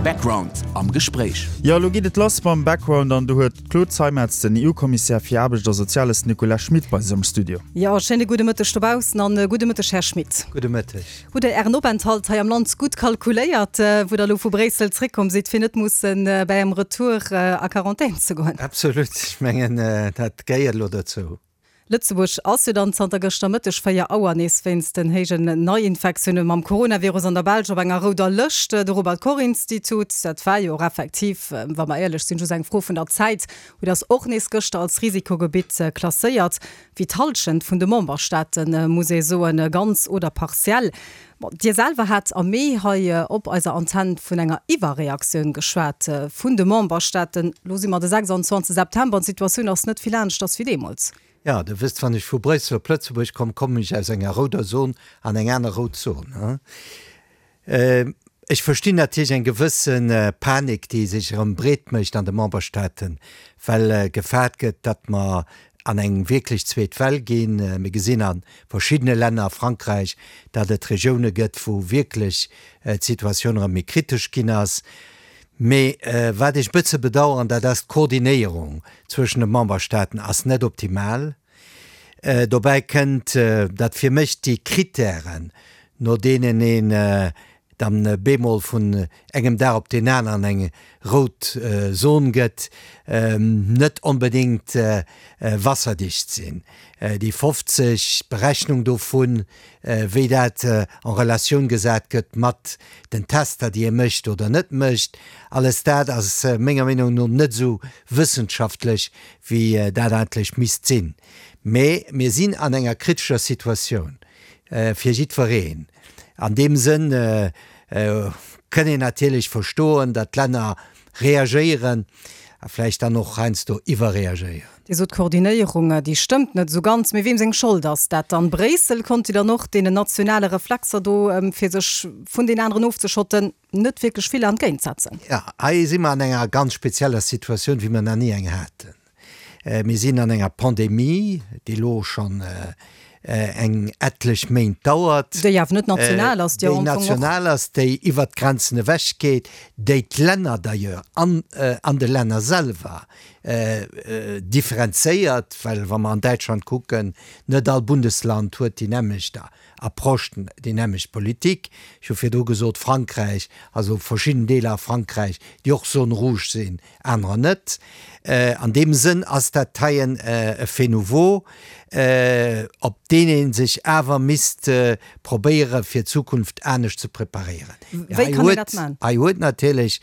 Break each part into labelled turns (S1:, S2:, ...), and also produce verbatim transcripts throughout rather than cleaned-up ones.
S1: Background am Gespréich.
S2: Jo, elo geet et lass mam Background an do huet d'Claude Zeimetz den E U-Kommissär fir Aarbecht a Soziales Nicolas Schmit bei sech am Studio.
S3: Jo, schéine gudde Mëtteg dobaussen an gudde Mëtteg, Här Schmit.
S4: Gudde Mëtteg.
S3: Hutt Der Ären Openthalt hei am Land gutt kalkuléiert, wou Der elo vu Bréissel zréckkomm sidd, fir net mussen bei engem Retour a Quarantän ze goen?
S4: Absolut, ech mengen, dat gehéiert elo dozou.
S3: Lëtzebuerg ass jo dann zanter gëschter Mëtteg véier Auer nees wéinst den héijen Neiinfektioune mam Coronavirus an der Belsch op enger rouder Lëscht. De Robert Koch Institut, dat war jo och effektiv, wa mer éierlech sinn, just eng Fro vun der Zäit, huet ass och nees gëschter als Risikogebitt klasséiert, wéi d'Hallschent vun de Memberstaaten, muss ee soen, ganz oder partiell. Bon, Dir selwer hat am Mee hei op eiser Antenn vun enger Iwwerreaktioun geschwat vun de Memberstaaten. Lo si mer de sechsundzwanzeg September an d'Situatioun ass net vill aneschters wéi deemools.
S4: Jo, Der wësst, wann ech vu Bréissel op Lëtzebuerg komm, kommen ech aus enger rouder Zon an eng aner rout Zon. Ech verstinn natierlech eng gewësse Panik, déi sech erëm breet mécht an de Memberstaaten, well gefaart gëtt, datt mer an eng wierklech zweet Well ginn. Mir gesinn a verschiddene Länner, a Frankräich, datt et Regioune gëtt, wou wierklech d'Situatioun erëm méi kritesch ginn ass. Mee wat ech e bësse bedauern, dat ass, d'Koordinéierung zwëschen de Memberstaaten ass net optimal. Dobäi kënnt, datt fir mech déi Kritären, no deenen een dann bemol vun engem Dag op deen aneren eng rout Zon gëtt, net onbedéngt wasserdicht sinn. Déi fofzeg, d'Berechnung dovun, wéi dat en Relatioun gesat gëtt mat den Tester, déi ee mécht oder net mécht, alles dat ass menger Meenung no net esou wëssenschaftlech, wéi dat eigentlech misst sinn. Mee mir sinn an enger kritescher Situatioun fir jiddwereen. An deem Sënn kënn een natierlech verstoen, datt d'Länner reagéieren a vläicht dann och heiansdo iwwerreagéieren.
S3: Dir sot, d'Koordinéierung, déi stëmmt net esou ganz. Mee weem seng Schold ass dat dann? Bréissel konnt jo dann och deenen nationale Reflexer do, fir sech vun den aneren ofzeschotten, net wierklech vill entgéintsetzen.
S4: Jo, hei si mer an enger ganz spezieller Situatioun, wéi mer nach ni eng haten. Mir sinn an enger Pandemie, déi elo schonn eng etlech Méint dauert.
S3: Déi awer net national ass, déi
S4: am Fong och. Déi national ass, déi iwwert d'Grenzen ewech geet, déi d'Länner d'ailleurs an an de Länner selwer differenzéiert, well wa mer an Däitschland kucken, net all Bundesland huet déi nämmlecht Approche, déi nämmlecht Politik. Ech hu virdru gesot, Frankräich, also verschidden Deeler a Frankräich, déi och Zone rouge sinn, anerer net. An deem Sënn ass dat heien e Fait nouveau, op deen ee sech awer misst probéiere fir d'Zukunft anescht ze preparéieren.
S3: Wéi kann een dat maachen?
S4: Hei huet natierlech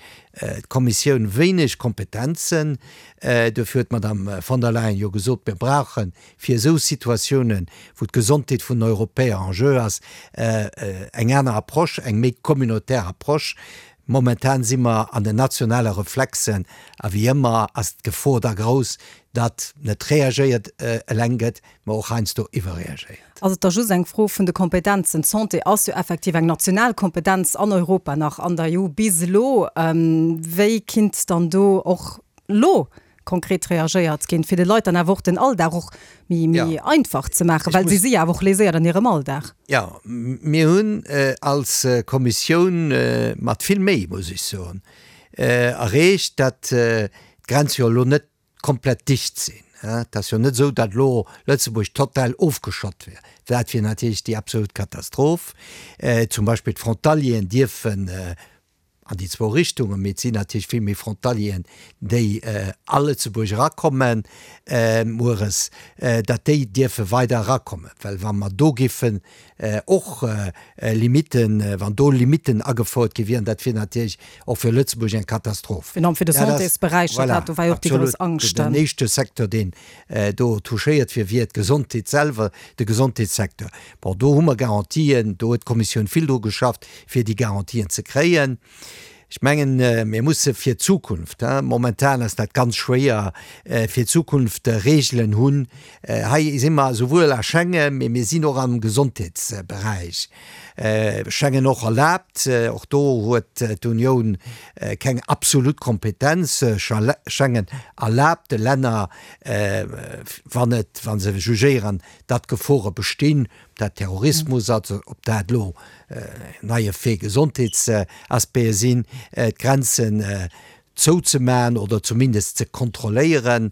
S4: d'Kommissioun wéineg Kompetenzen. Dofir huet d'Madame von der Leyen jo gesot, mir brauche fir esou Situatiounen, wou d'Gesondheet vun den Europäer en jeu ass, eng aner Approche, eng méi communautaire Approche. Momentan si mer an den nationale Reflexen a wéi ëmmer ass d'Gefor da grouss, datt net reagéiert eleng gëtt, mä och heiansdo iwwerreagéiert.
S3: Ass et da just eng Fro vun de Kompetenzen? D'Santé ass jo effektiv eng national Kompetenz an Europa nach, an der E U bis elo. Wéi kinnt dann do och elo konkret reagéiert ginn, fir de Leit dann awer och den Alldag och méi méi einfach ze maachen, well si si jo awer och léséiert an hirem Alldag?
S4: Jo, mir hunn als Kommissioun mat vill Méi, muss ech soen, erreecht, datt d'Grenze jo elo net komplett dicht sinn. Et ass jo net esou, datt elo Lëtzebuerg total ofgeschott wier. Dat wier natierlech déi absolut Katastroph. Zum Beispill d'Frontalieren dierfen an déi zwou Richtungen, mee et sinn natierlech vill méi Frontalieren, déi a Lëtzebuerg erakommen mueres, datt déi dierfe weider erakommen. Well wa mer do giffen och Limitten, wann do Limitten agefouert gi wieren, dat wier natierlech och fir Lëtzebuerg eng Katastroph.
S3: Virun allem fir de Santésberäich, dat do war jo och déi grouss Angscht.
S4: Den éischte Secteur, deen do touchéiert wier, wier d'Gesondheet selwer, de Gesondheetssecteur. Bon, do hu mer Garantien, do huet d'Kommissioun vill dru geschafft, fir déi Garantien ze kréien. Ech mengen, mir musse fir d'Zukunft, momentan ass dat ganz schwéier, fir d'Zukunft Regelen hunn. Hei si mer esouwuel a Schengen, mee mir sinn och am Gesondheetsberäich. Schengen och erlaabt, och do huet d'Unioun keng absolut Kompetenz. Schengen erlaabt de Länner, wann et, wa se jugéieren, datt Gefore bestinn, dat Terrorismus ass, ob dat elo neie Fait Gesondheetsaspecte sinn, d'Grenzen zouzemaachen oder zumindest ze kontrolléieren.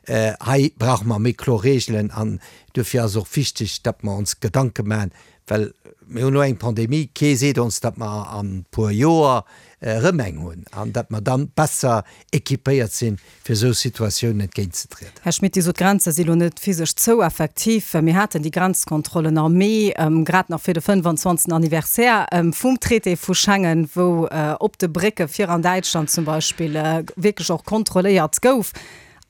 S4: Hei brauche mer méi kloer Reegelen an duerfir ass och wichteg, datt mer ons Gedanke maachen, well mir hunn elo eng Pandemie, kee seet ons, datt mer an e puer Joer erëm eng hunn an datt mer dann besser équipéiert sinn, fir esou Situatiounen entgéintzetrieden.
S3: Här Schmit, Dir sot, d'Grenze si lo net physesch zou. Effektiv, mir haten déi Grenzkontrollen am Mee, grad nach fir de fënnwanzwanzegsten Anniversaire vum Traité vu Schengen, wou op de Brécke fir an Däitschland zum Beispill wierklech och kontrolléiert gouf.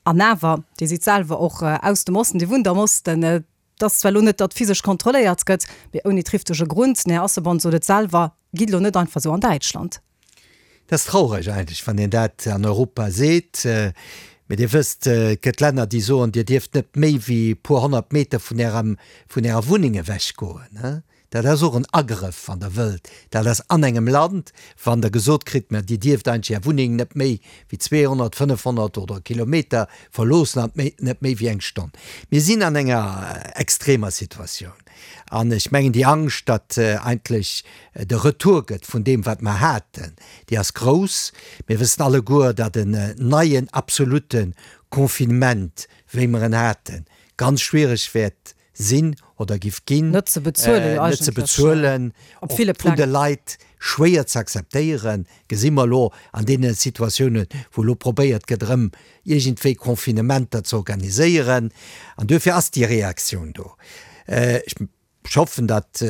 S3: An awer, Dir sidd selwer och aus dem Osten, Dir wunnt am Osten, et ass zwar elo net, datt physesch kontrolléiert gëtt, mee ouni trifftege Grund, den Här Asselborn sot et selwer, gitt elo net einfach esou an Däitschland.
S4: Dat ass traureg eigentlech, wann een dat an Europa seet. Mee Dir wësst, et gëtt Länner, déi soen, Dir dierft net méi wéi e puer honnert Meter vun Ärem, vun Ärer Wunneng ewechgoen. Dat ass och en Agrëff, wann Der wëllt. Dat ass an engem Land, wann Der gesot kritt, mä Dir dierft eigentlech Är Wunneng net méi wéi zweehonnert, fënnefhonnert oder Kilometer verloossen an net méi wéi eng Stonn. Mir sinn an enger extremer Situatioun. An ech mengen, déi Angscht, datt eigentlech de Retour gëtt vun deem, wat mer haten, déi ass grouss. Mir wëssen alleguer, datt en neien absolute Confinement, wéi mer en haten, ganz schwierig wäert sinn oder giff ginn,
S3: net ze bezuelen,
S4: net ze bezuelen,
S3: op ville
S4: vun de
S3: Pläng.
S4: Leit schwéier ze akzeptéieren, gesi mer elo an deene Situatiounen, wou elo probéiert gëtt, erëm iergendwéi Confinementer ze organiséieren. An duerfir ass déi Reaktioun do. Ech hoffen, datt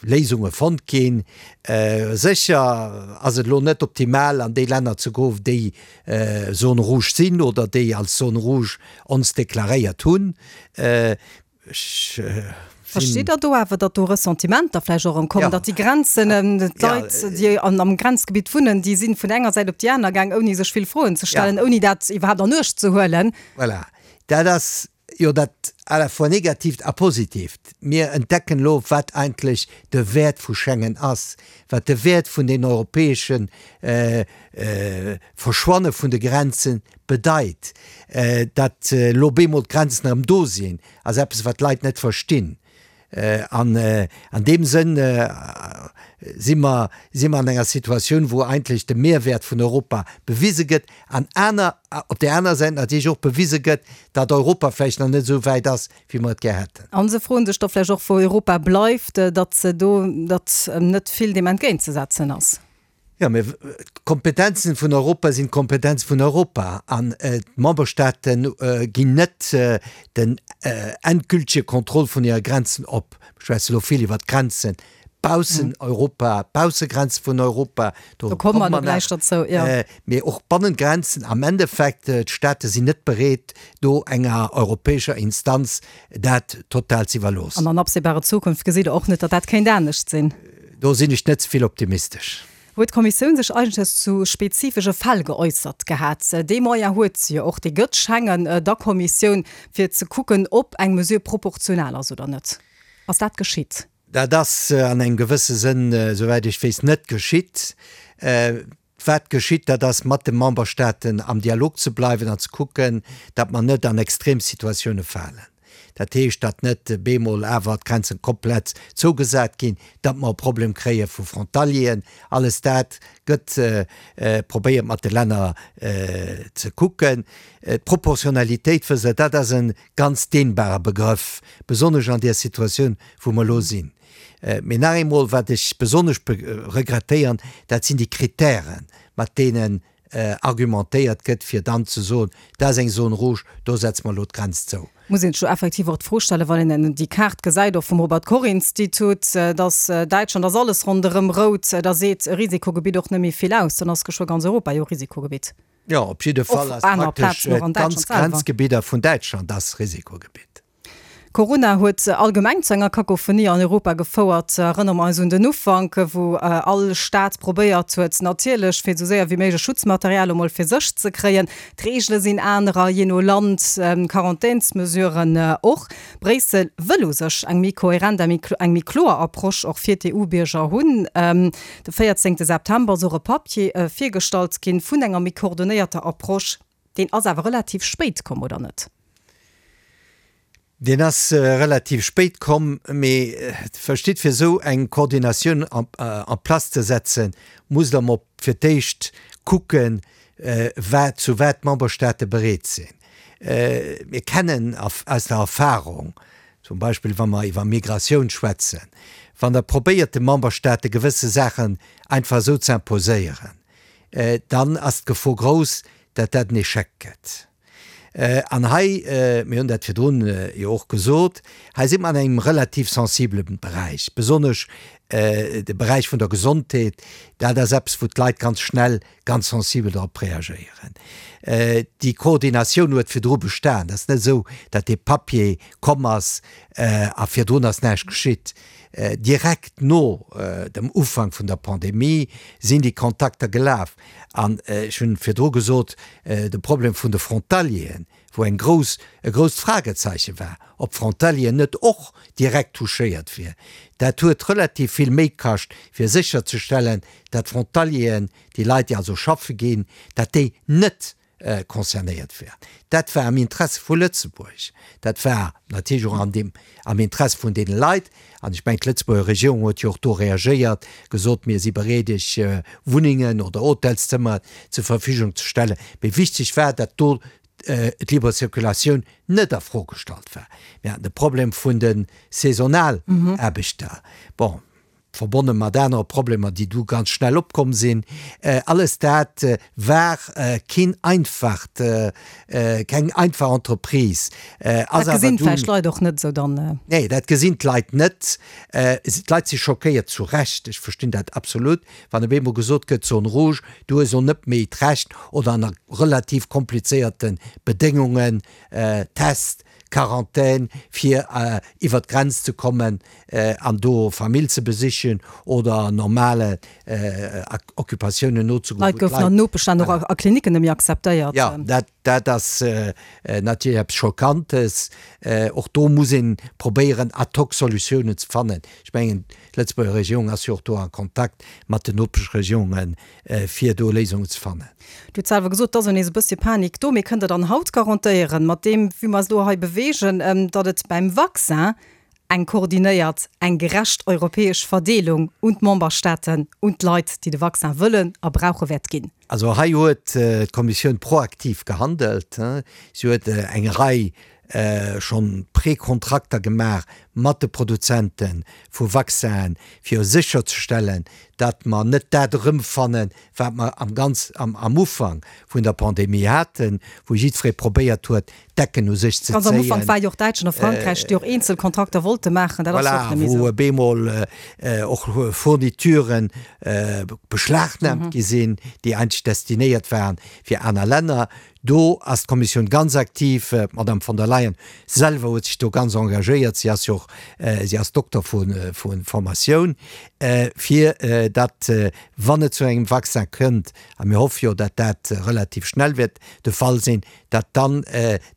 S4: Léisunge fonnt ginn. Sécher ass et elo net optimal, an déi Länner ze goen, déi Zone rouge sinn oder déi als Zone rouge ons deklaréiert hunn. Ech sinn.
S3: Versteet Der do awer, datt do Ressentimenter vläicht och erëm kommen, datt déi Grenzen, d'Leit, déi am Grenzgebitt wunnen, déi si vun enger Säit op déi aner gaang, ouni sech vill Froen ze stellen, ouni dat iwwerhaapt an Uecht ze huelen?
S4: Voilà, dat ass jo dat à la fois Negatiivt a Positiivt. Mir entdecken elo, wat eigentlech de Wäert vu Schengen ass, wat de Wäert vun den europäesche Verschwanne vun de Grenze bedeit. Datt elo bemol d'Grenzen erëm do sinn, ass eppes, wat d'Leit net verstinn. An an deem Sënn si mer, si mer an enger Situatioun, wou eigentlech de Mehrwäert vun Europa bewise gëtt an aner, op där aner Säit natierlech och bewise gëtt, datt Europa vläicht nach net esou wäit ass, wéi mer et gär hätten.
S3: A se froen sech da vläicht och, wou Europa bleift, datt se do, datt net vill deem entgéintzesetzen ass.
S4: Jo, mä d'Kompetenzen vun Europa sinn d'Kompetenze vun Europa an d'Memberstaate ginn net den endgültige Contrôle vun hire Grenzen op. Ech schwätze elo vill iwwert d'Grenzen baussen Europa, d'Baussegrenze vun Europa, do komme mer nach, mee och bannent Grenzen. Am Endeffekt, d'Staate sinn net bereet, do enger europäescher Instanz dat total ze iwwerloossen.
S3: An an absehbarer Zukunft gesitt Der och net, datt dat kéint anescht sinn.
S4: Do sinn ech net ze vill optimistesch.
S3: Huet d'Kommissioun sech eigentlech zu spezifesche Fäll geäussert gehat? Dee Moyen huet se jo och, dee gëtt Schengen der Kommissioun, fir ze kucken, ob eng Mesure proportional ass oder net. Ass dat geschitt?
S4: Dat ass an engem gewësse Sënn, souwäit ech weess, net geschitt. Wat geschitt, dat ass, mat de Memberstaaten am Dialog ze bleiwen an ze kucken, datt mer net an extrem Situatioune falen. Dat heescht, datt net bemol awer d'Grenzen komplett zougesat ginn, datt mer e Problem kréie vu Frontalieren. Alles dat gëtt probéiert mat de Länner ze kucken. D'Proportionalitéit, wësst Der, dat ass e ganz dehnbare Begrëff, besonnesch an där Situatioun, wou mer elo sinn. Mee nach eemol, wat ech besonnesch regrettéieren, dat sinn déi Kritären, mat deenen argumentéiert gëtt, fir dann ze soen, dat ass eng Zone rouge, do setze mer elo d'Grenz zou.
S3: Muss een sech jo effektiv och d'Fro stellen, wann een déi Kaart gesäit, och vum Robert Koch Institut, dass Däitschland ass alles ronderëm rout, da seet e Risikogebitt och net méi vill aus, dann ass geschwë ganz Europa jo Risikogebitt.
S4: Jo, op jidde Fall ass praktesch d'ganz Grenzgebidder vun Däitschland ass Risikogebitt.
S3: Corona huet allgemeng zu enger Kakophonie an Europa gefouert. Erënnere mer eis un den Ufank, wou all Staat probéiert huet, natierlech fir esou séier wéi méiglech Schutzmaterial emol fir sech ze kréien. D'Reegele sinn anerer jee no Land, d'Quarantänsmesuren och. Bréissel wëll u sech eng méi kohärent, eng méi kloer Approche och fir d'EU-Bierger hunn. De véierzéngte September ass och e Papier virgestallt ginn vun enger méi koordonéierter Approche. Deen ass awer relativ spéit komm, oder net?
S4: Deen ass relativ spéit komm, mee verstitt, fir esou eng Koordinatioun en place ze setzen, musst Der emol fir d'éischt kucken, wat, zu wat d'Memberstaate bereet sinn. Mir kennen aus der Erfahrung, zum Beispill wa mer iwwer Migratioun schwätzen, wann Der probéiert de Memberstaate gewësse Saachen einfach esou ze imposéieren, dann ass d'Gefor grouss, datt dat en Échec gëtt. An hei, mir hunn dat virdrun jo och gesot, hei si mer an engem relativ sensibele Beräich, besonnesch de Beräich vun der Gesondheet, dat ass eppes, wou d'Leit ganz schnell ganz sensibel drop reagéieren. Déi Koordinatioun huet virdru bestan. Et ass net esou, datt dee Papier komm ass a virdrun ass näischt geschitt. Direkt no dem Ufank vun der Pandemie sinn déi Kontakter gelaf. An ech hunn virdru gesot, de Problem vun de Frontalieren, wou eng grouss, e grousst Fragezeiche war, ob d'Frontalieren net och direkt touchéiert wier, dat huet relativ vill Méi kascht, fir sécherzestellen, dat d'Frontalieren, déi Leit, déi also schaffe ginn, dat déi net concernéiert wären. Dat war am Interesse vu Lëtzebuerg. Dat war natierlech och an deem, am Interesse vun deene Leit. An ech mengen, d'Lëtzebuerger Regierung huet jo och do reagéiert, gesot, mir si bereet, Iech Wunnengen oder Hotelszëmmer zur Verfügung ze stellen. Mee wichteg war, datt do d'libre Circulatioun net a Fro gestallt war. Mir haten de Problem vun de Saisonalaarbechter. Bon. verbonne mat anere Problemer, déi du ganz schnell opkomm sinn. Alles dat war keen einfacht, keng einfach Entreprise.
S3: Dat gesinn vläicht d'Leit och net esou dann.
S4: Nee, dat gesinn d'Leit net. D'Leit si schockéiert, zu Recht, ech verstinn dat absolut, wann op eemol gesot gëtt, Zone rouge, du hues och net méi d'Recht oder ënner relativ komplizéierte Bedéngungen, Test, Quarantän, fir iwwer d'Grenz ze kommen an do Famill ze besichen oder normale Occupatiounen nozegoen.
S3: Leit goufen an Nopeschlänner och a Klinicken net méi akzeptéiert.
S4: Jo, dat, dat ass natierlech eppes Schockantes. Och do muss ee probéieren, ad hoc Solutiounen ze fannen. Ech mengen, d'Lëtzebuerger Regierung ass jo och do a Kontakt mat den Nopeschregierungen, fir do Léisungen ze fannen.
S3: Dir hutt selwer gesot, et ass elo nees e bëssche Panik do. Mee kënnt Der dann haut garantéieren, mat deem, wéi mer eis elo hei beweegen, datt et beim Vaccin eng koordinéiert, eng gerecht europäesch Verdeelung un d'Memberstaaten, un d'Leit, déi de Vaccin wëllen a brauche wäert ginn?
S4: Also hei huet d'Kommissioun proaktiv gehandelt. Si huet eng Rei schonn Prekontrakter gemaach mat de Produzente vu Vaccinen, fir sécherzestellen, datt mer net dat erëmfannen, wat mer am ganz am Ufank vun der Pandemie haten, wou jiddweree probéiert huet, d'Decken u sech ze
S3: Ganz am Ufank
S4: zéien.
S3: war jo och Däitschland a Frankräich, déi och eenzel Kontrakter wollte maachen. Dat ass jo och
S4: Voilà,
S3: net méi esou.
S4: wou op eemol och Fournituren beschlagnahmt gi sinn, déi eigentlech destinéiert waren fir aner Länner. Do ass d'Kommissioun ganz aktiv. D'Madame von der Leyen selwer huet sech do ganz engagéiert, si ass jo och, si ass Dokter vu Formatioun, fir datt, wann et zu engem Vaccin kënnt, a mir hoffe jo, datt dat relativ schnell wäert de Fall sinn, datt dann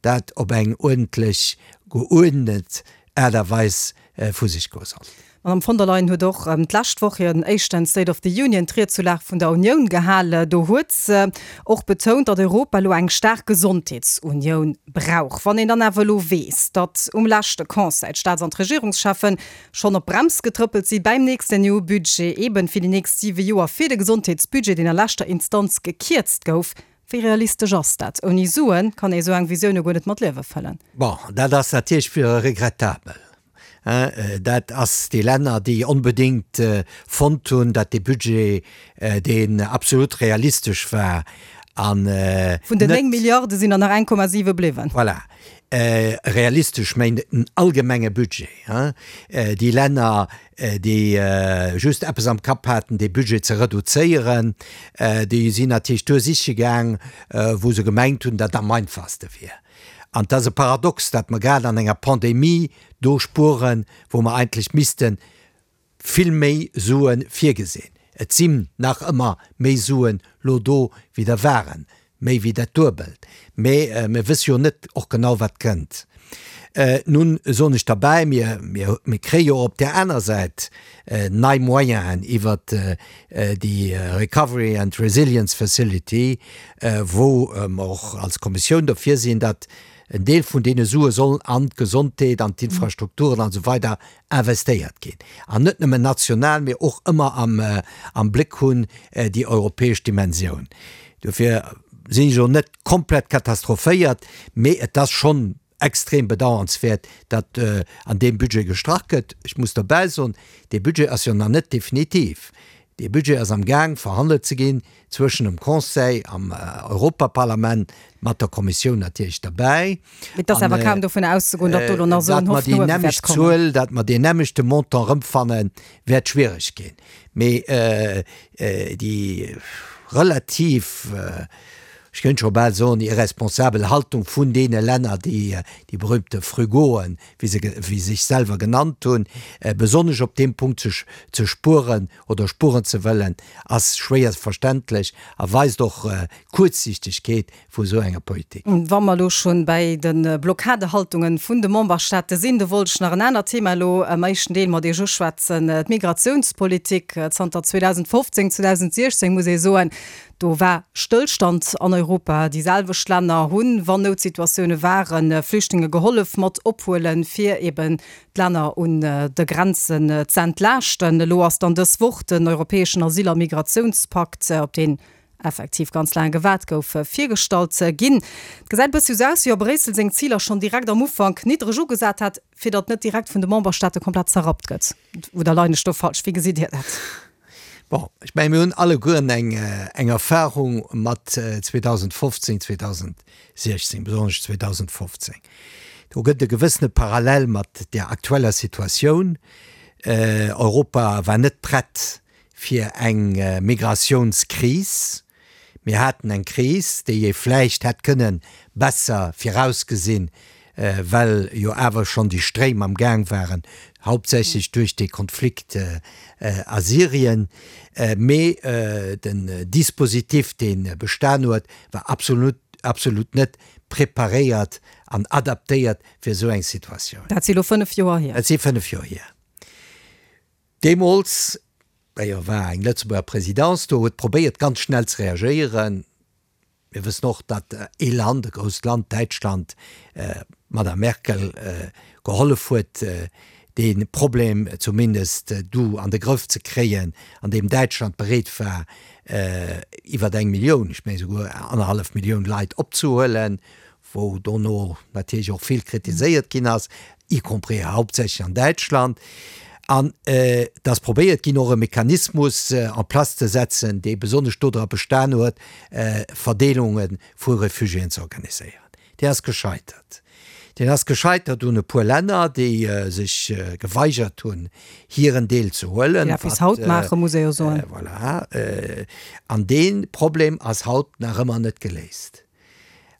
S4: dat op eng uerdentlech, geuerdnet Aart a Weis vu sech goe soll.
S3: D'Madame von der Leyen huet och d'lescht Woch hiren éischten State of the Union, d'Ried zur Lag vun der Unioun, gehale. Do huet se och betount, datt Europa elo eng staark Gesondheetsunioun brauch. Wann een dann awer elo weess, datt um leschte Conseil d'Staats an d'Regierungscheffen schonn op d'Brems getrëppelt si beim nächsten E U-Budget, eben fir déi nächst siwe Joer, fir de Gesondheetsbudget, deen a leschter Instanz gekierzt gouf, wéi realistesch ass dat? Ouni Suen kann ee sou eng Visioun jo guer net mat Liewe fëllen.
S4: Bon, dat ass natierlech regrettabel. Dat ass déi Länner, déi onbedéngt fonnt hunn, datt dee Budget, deen absolut realistesch war an net.
S3: Vun den néng Milliarde sinn der nach eng Komma siwe bliwwen.
S4: Voilà. Realistesch méint den allgemenge Budget. Déi Länner, déi just eppes am Kapp haten, dee Budget ze reduzéieren, déi sinn natierlech do siche gaang, wou se gemengt hunn, datt am einfachste wier. An et ass e Paradox, datt mer grad an enger Pandemie do spueren, wou mer eigentlech misste vill méi Sue virgesinn. Et sinn nach ëmmer méi Suen lo do, wéi der waren, méi wéi dat Duebelt, mä mir wësse jo net och genau, wat kënnt. Nun soen ech derbäi, mir, mir, mir kréie jo op där aner Säit nei Moyenen iwwert déi Recovery and Resilience Facility, wou mer och als Kommissioun derfir sinn, datt En Deel vun deene Sue sollen an d'Gesondheet, an d'Infrastrukturen an esou weider investéiert ginn. An net nëmmen national, mee och ëmmer am, am Bléck hunn déi europäesch Dimensioun. Dofir sinn ech elo net komplett katastrophéiert, mee et ass schonn extrem bedauernswäert, datt an deem Budget gestrach gëtt. Ech muss derbäi soen, dee Budget ass jo nach net definitiv. Dee Budget ass am Gaang verhandelt ze ginn zwëschen dem Conseil am Europaparlament, mat der Kommissioun natierlech derbäi.
S3: Et ass awer kaum dovun auszegoen, datt do elo nach esou en
S4: Datt mer déi nämmlecht Zuel, datt mer deen nämmlechte Montant erëmfannen, wäert schwiereg ginn. Mee déi relativ, ech kéint scho bal soen, irresponsabel Haltung vun deene Länner, déi déi berühmte Frugoen, wéi se wéi sech selwer genannt hunn, besonnesch op deem Punkt ze ze spueren oder spueren ze wëllen, ass schwéier verständlech a weist och d'Kuerzsichtegkeet vu esou enger Politik.
S3: Wa mer elo schonn bäi de Blockadehaltungen vun de Memberstaate sinn, do wollt ech nach en anert Thema elo am éischten Deel mat Iech uschwätzen, d'Migratiounspolitik. Zanter zweedausendfofzéng, zweedausendsiechzéng muss ee soen, do war Stëllstand an Europa. Déi selwecht Länner hunn, wann Noutsituatioune waren, Flüchtlinge gehollef mat ophuelen, fir eben d'Länner un de Grenzen ze entlaaschten. Elo ass dann dës Woch den europäeschen Asyl a Migratiounspakt, op deen effektiv ganz laang gewaart gouf, virgestallt ginn. Et gesäit e bëssi esou aus, wéi wa Bréissel seng Ziler schonn direkt am Ufank niddreg ugesat hätt, fir datt net direkt vun de Memberstaate komplett zerrappt gëtt. Oder leien ech do falsch? Wéi gesitt Dir dat?
S4: Bon, ech mengen, mir hunn allegueren eng, eng Erfahrung mat zweedausendfofzéng, zweedausendsiechzéng, besonnesch zweedausendfofzéng. Do gëtt e gewëssene Parallel mat där aktueller Situatioun. Europa war net prett fir eng Migratiounskris. Mir haten eng Kris, déi ee vläicht hätt kënne besser virausgesinn, well jo awer schonn déi Stréim am Gaang waren, hauptsächlech duerch dee Konflikt a Syrien. Mee den Dispositif, dee bestan huet, war absolut, absolut net preparéiert an adaptéiert fir esou eng Situatioun.
S3: Dat si elo fënnef Joer hier.
S4: Dat si fënnef Joer hier. Deemools, d'ailleurs war eng Lëtzebuerger Présidence do, huet probéiert ganz schnell ze reagéieren. Mir wëssen och, datt ee Land, e grousst Land, Däitschland, d'Madame Merkel gehollef huet, dee Problem zumindest du an de Grëff ze kréien, an deem Däitschland bereet war, iwwer eng Millioun, ech mengen esouguer annerhallef Millioun Leit opzehuelen, wou dono natierlech och vill kritiséiert ginn ass, y compris hauptsächlech an Däitschland. An et ass probéiert ginn, och e Mechanismus en place ze setzen, dee besonnesch dodra bestan huet, Verdeelunge vu Refugiéen ze organiséieren. Deen ass gescheitert. Deen ass gescheitert un e puer Länner, déi sech geweigert hunn, hiren Deel ze huelen.
S3: Déi dat bis haut maachen, muss ee jo soen.
S4: Voilà. An dee Problem ass haut nach ëmmer net geléist.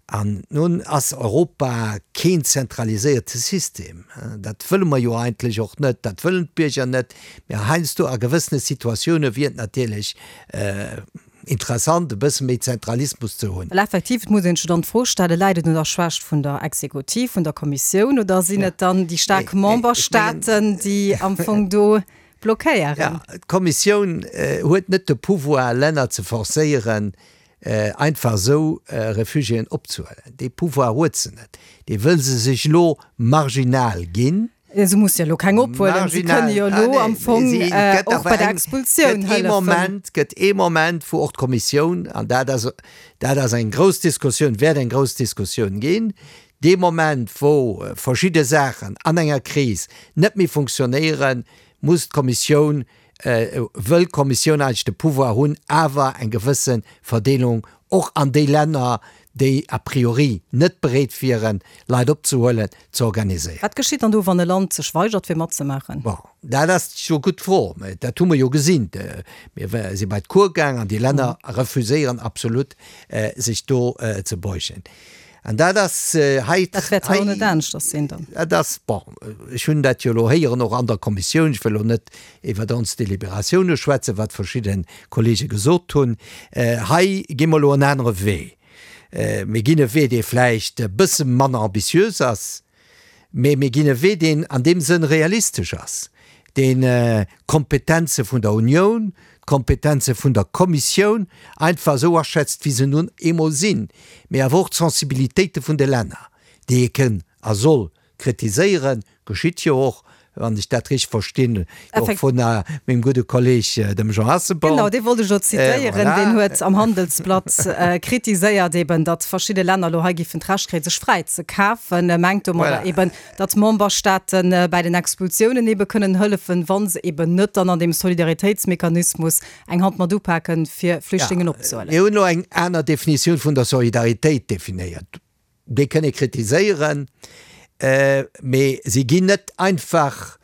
S4: An nun ass Europa keen zentraliséierte System. Dat wëlle mer jo eigentlech och net, dat wëllen d'Bierger net. Mä heiansdo a gewëssene Situatioune wier et natierlech interessant, e bësse méi Zentralismus ze hunn.
S3: Well effektiv, et muss een sech dann d'Fro stellen, Läit et un der Schwächt vun der Exekutiv, vun der Kommissioun, oder sinn et dann déi staark Memberstaaten, déi am Fong do blockéieren?
S4: Jo, d'Kommissioun huet net de Pouvoir, Länner ze forcéieren, einfach esou Refugiéen opzehuelen. Dee Pouvoir huet se net. Dee wëll se sech elo marginal ginn.
S3: Se muss jo elo keng ophuelen. Si kënne jo elo am Fong och bei der Expulsioun
S4: hëllefen. Et gëtt ee Moment, wou och d'Kommissioun, an dat ass, dat ass eng grouss Diskussioun, wäert eng grouss Diskussioun ginn, dee Moment, wou verschidde Saachen an enger Kris net méi funktionéieren, muss d'Kommissioun wëll d'Kommissioun eigentlech de Pouvoir hunn, awer eng gewësse Verdeelung och an déi Länner, déi a priori net bereet wieren, Leit opzehuelen, ze organiséieren.
S3: Wat geschitt dann do, wann e Land sech weigert, fir matzemaachen?
S4: Bon, dat ass jo gutt Fro. Mä dat hu mer jo gesinn. Mir si bei d'Cour gaang an déi Länner refuséieren absolut, sech do ze beugen. An dat ass hei.
S3: Dat wäert hei och net aneschters sinn dann.
S4: Dat ass, bon, ech hunn dat jo elo héieren och an der Kommissioun, ech wëll elo net iwwer ons Deliberatioune schwätzen, wat verschidde Kollege gesot hunn. Hei gi mer elo en anere Wee. Mir ginn e Wee, dee vläicht e bësse manner ambitiös ass, mee mir ginn e Wee, deen an deem Sënn realistesch ass, deen d'Kompetenze vun der Unioun, d'Kompetenze vun der Kommissioun einfach esou aschätzt, wéi se nun eemol sinn, mee awer och d'Sensibilitéite vun de Länner, déi ee kënn a soll kritiséieren, geschitt jo och, wann ech dat richteg verstinn, och vun mengem gudde Kolleg, dem Jean Asselborn.
S3: Genau, dee wollt ech elo zitéieren. Deen huet am Handelsblatt kritiséiert eben, datt verschidde Länner elo hei giffen d'Recht kréien, sech fräi ze kafen. E mengt domadder eben, datt d'Memberstaate bäi den Expulsiounen ebe kënnen hëllefen, wa se eben net dann an deem Solidaritéitsmechanismus eng Hand mat upaken, fir Flüchtlingen opzehuelen.
S4: Mir hunn elo eng aner Definitioun vun der Solidaritéit definéiert. Déi kënn ee kritiséieren, mee si ginn net einfach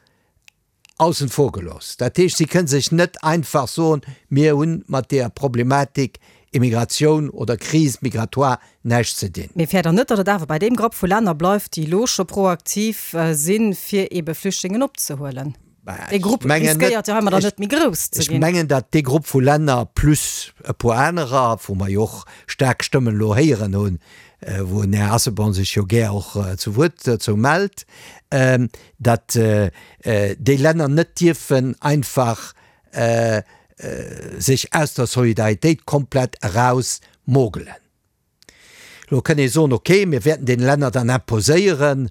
S4: aussen vor gelooss. Dat heescht, si kënne sech net einfach soen, mir hunn mat deeër Problematik Immigratioun oder Crise migratoire näischt ze dinn.
S3: Mee fäert Der net, datt et awer bei deem Grapp vu Länner bleift, déi elo scho proaktiv sinn, fir eebe Flüchtlingen opzehuelen? Dee Grupp riskéiert jo heimadder net méi grouss ze
S4: ginn. Ech mengen, datt dee Grupp vu Länner plus e puer anerer, wou mer jo och staark Stëmmen elo héieren hunn, wou den Här Asselborn sech jo gär och zu Wuert dozou mellt, datt déi Länner net dierfen einfach sech aus der Solidaritéit komplett eraus mogelen. Elo kënn ee soen, okay, mir wäerten deene Länner dann imposéieren,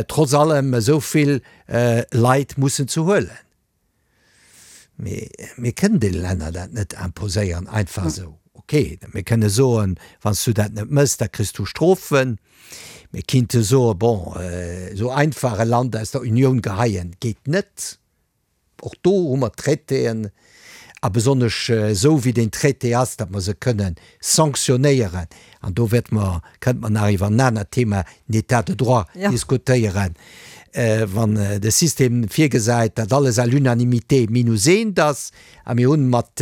S4: trotz allem esou vill Leit mussen ze huelen. Mee mir kënnen deene Länner dat net imposéieren, einfach esou. Okay, mir kënne soen, wann s du dat net méchs, da kriss du Strofen. Mir kinnte soen, bon, esou einfach e Land aus der Unioun geheien, geet net. Och do hu mer Traitéen, a besonnesch esou wéi deen Traité ass, datt mer se kënne sanktionéieren, an do wäerte mer, kënnte mer nach iwwer en anert Thema, den État de droit, diskutéieren, wann de System virgesäit, datt alles à l'unanimité minus eent ass, a mir hunn mat,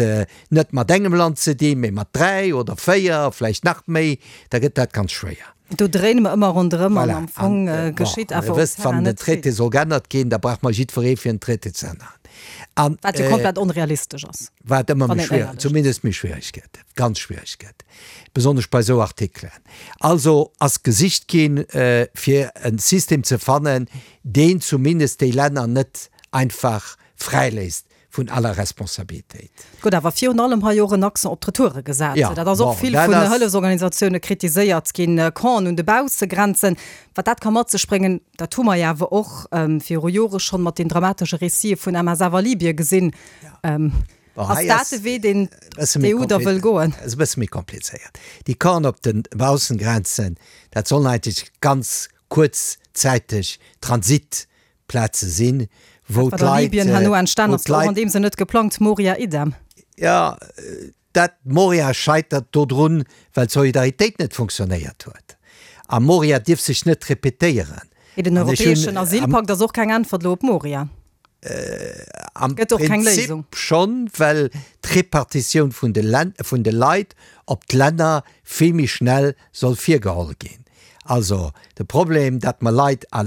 S4: net mat engem Land ze dinn, mä mat dräi oder véier, vläicht nach méi, da gëtt dat ganz schwéier.
S3: Do dréine mer ëmmer ronderëm an am Fong geschitt
S4: awer um Terrain net vill. Wann den Traité soll geännert ginn, da brauch mer jiddweree fir en Traité ze änneren.
S3: Wat jo komplett onrealistesch ass.
S4: Wat ëmmer méi schwiereg, zumindest méi schwiereg gëtt, ganz schwiereg gëtt, besonnesch bei esou Artikelen. Also ass gesicht ginn, fir e System ze fannen, deen zumindest déi Länner net einfach fräiléisst vun aller Responsabilitéit.
S3: Gëtt awer virun allem hei och en Accent op d'Retoure gesat.
S4: Ja,
S3: Dat ass och
S4: bon,
S3: vill
S4: dat
S3: vun
S4: ass.
S3: Hëllefsorganisatioune kritiséiert ginn, Campen un de Baussegrenzen. Wat dat ka mat sech bréngen, dat hu mer jo awer och viru Jore schonn mat den dramatesche Récitë vun M S F a Libye gesinn.
S4: Bon,
S3: Ass
S4: hei
S3: dat
S4: ass
S3: de Wee, deen
S4: e bësse méi
S3: d'E U da wëll goen?
S4: Ass e bësse méi komplizéiert. Déi Campen op de Baussengrenzen, dat sollen eigentlech ganz kuerzzäiteg Transit Plaze sinn, wou
S3: Dat wat a
S4: d'Leit,
S3: Libyen herno entstan
S4: wou
S3: ass, och an
S4: d'Leit.
S3: deem Sënn net geplangt, Moria idem.
S4: Jo, dat Moria scheitert dodrun, well d'Solidaritéit net funktionéiert huet. A Moria dierf sech net repetéieren.
S3: Mee den
S4: An ech hunn
S3: europäeschen
S4: am.
S3: Asylpakt ass och keng Äntwert elo op Moria.
S4: Am
S3: Gëtt och keng
S4: Prinzip
S3: Léisung.
S4: schonn, well d'Repartitioun vun de Län, vun de Leit op d'Länner vill méi schnell soll virgeholl ginn. Also de Problem, datt mer Leit a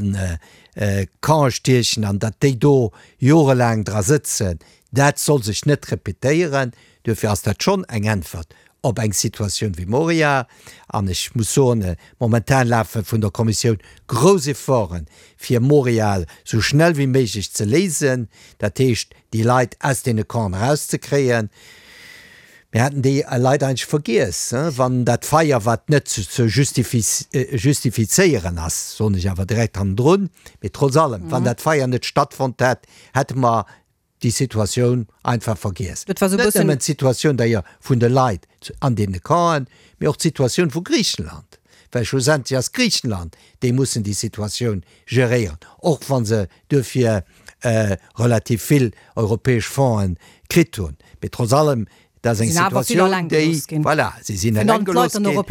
S4: Campe stiechen an datt déi do jorelaang dra sëtzen, dat soll sech net repetéieren. Duerfir ass dat schonn eng Äntwert op eng Situatioun wéi Moria. An ech muss soen, momentan lafe vun der Kommissioun grouss Efforten, fir Moria esou schnell wéi méiglech ze léisen, dat heescht déi Leit aus deene Campen erauszekréien. Mir haten déi Leit eigentlech vergiess, wann dat Feier, wat net ze justifizéieren ass, soen ech awer direkt hannendrun, mee trotz allem, wann dat Feier net stattfonnt hätt, hätte mer déi Situatioun einfach vergiess. Net nëmmen d'Situatioun d'ailleurs vun de Leit an deene Campen, mee och d'Situatioun vu Griichenland, well schlussendlech ass Griichenland, déi mussen déi Situatioun geréieren, och wa se duerfir relativ vill europäesch Fonds'en kritt hunn. Mee trotz allem, dat ass eng Situatioun, déi, voilà, si sinn eleng gelooss ginn an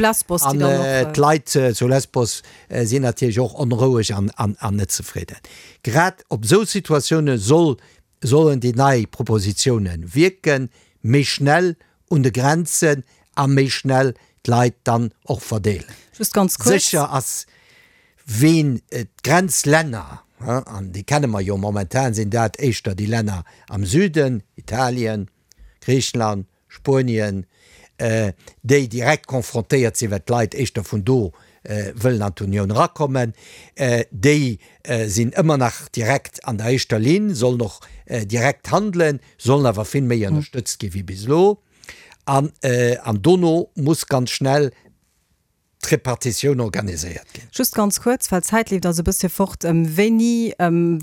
S4: d'Leit zu Lesbos sinn natierlech och onroueg an net zefridden. Grad op esou Situatioune soll, sollen déi nei Propositioune wierken, méi schnell un de Grenzen a méi schnell d'Leit dann och verdeelen. Sécher ass, ween d'Grenzlänner, an déi kenne mer jo momentan, sinn dat éischter déi Länner am Süden, Italien, Griichenland, Spuenien, déi direkt confrontéiert sinn, well d'Leit éischter vun do wëllen an d'Unioun erakommen, déi sinn ëmmer nach direkt an der éischter Linn, sollen och direkt handelen, sollen awer vill méi ënnerstëtzt gi wéi bis elo. An dono muss ganz schnell d'Repartitioun organiséiert ginn.
S3: Just ganz kuerz, well d'Zäit leeft eis e bëssche fort, Wéini,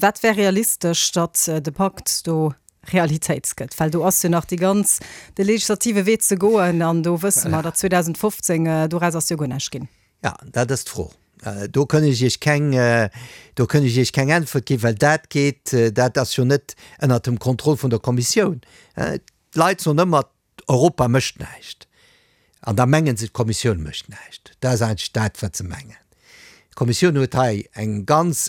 S3: wat wär realistesch, datt de Pakt do Realitéit gëtt? Well do ass jo nach déi ganz, de legislative Wee ze goen an do wësse mer, datt zweedausendfofzéng doraus ass jo guer näischt ginn.
S4: Jo, dat ass d'Fro. Do kënn ech Iech keng, do kënn ech Iech keng Äntwert ginn, well dat geet, dat ass jo net ënnert dem Contrôle vun der Kommissioun. D'Leit soen ëmmer, Europa mécht näischt. An da mengen se, d'Kommissioun mécht näischt. Dat ass eigentlech dat, wat se mengen. D'Kommissioun huet hei eng ganz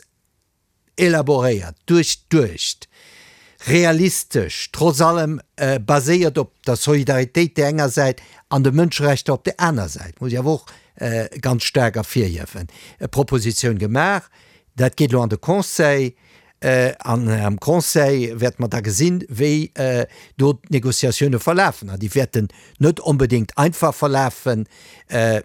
S4: elaboréiert, duerchduecht, realistesch, trotz allem baséiert op der Solidaritéit där enger Säit an de Mënscherechter op där aner Säit, muss ech awer och ganz staark ervirhiewen, Propositioun gemaach. Dat geet elo an de Conseil. An am Conseil wäerte mer da gesinn, wéi do d'Négociatioune verlafen. An déi wäerten net onbedéngt einfach verlafen,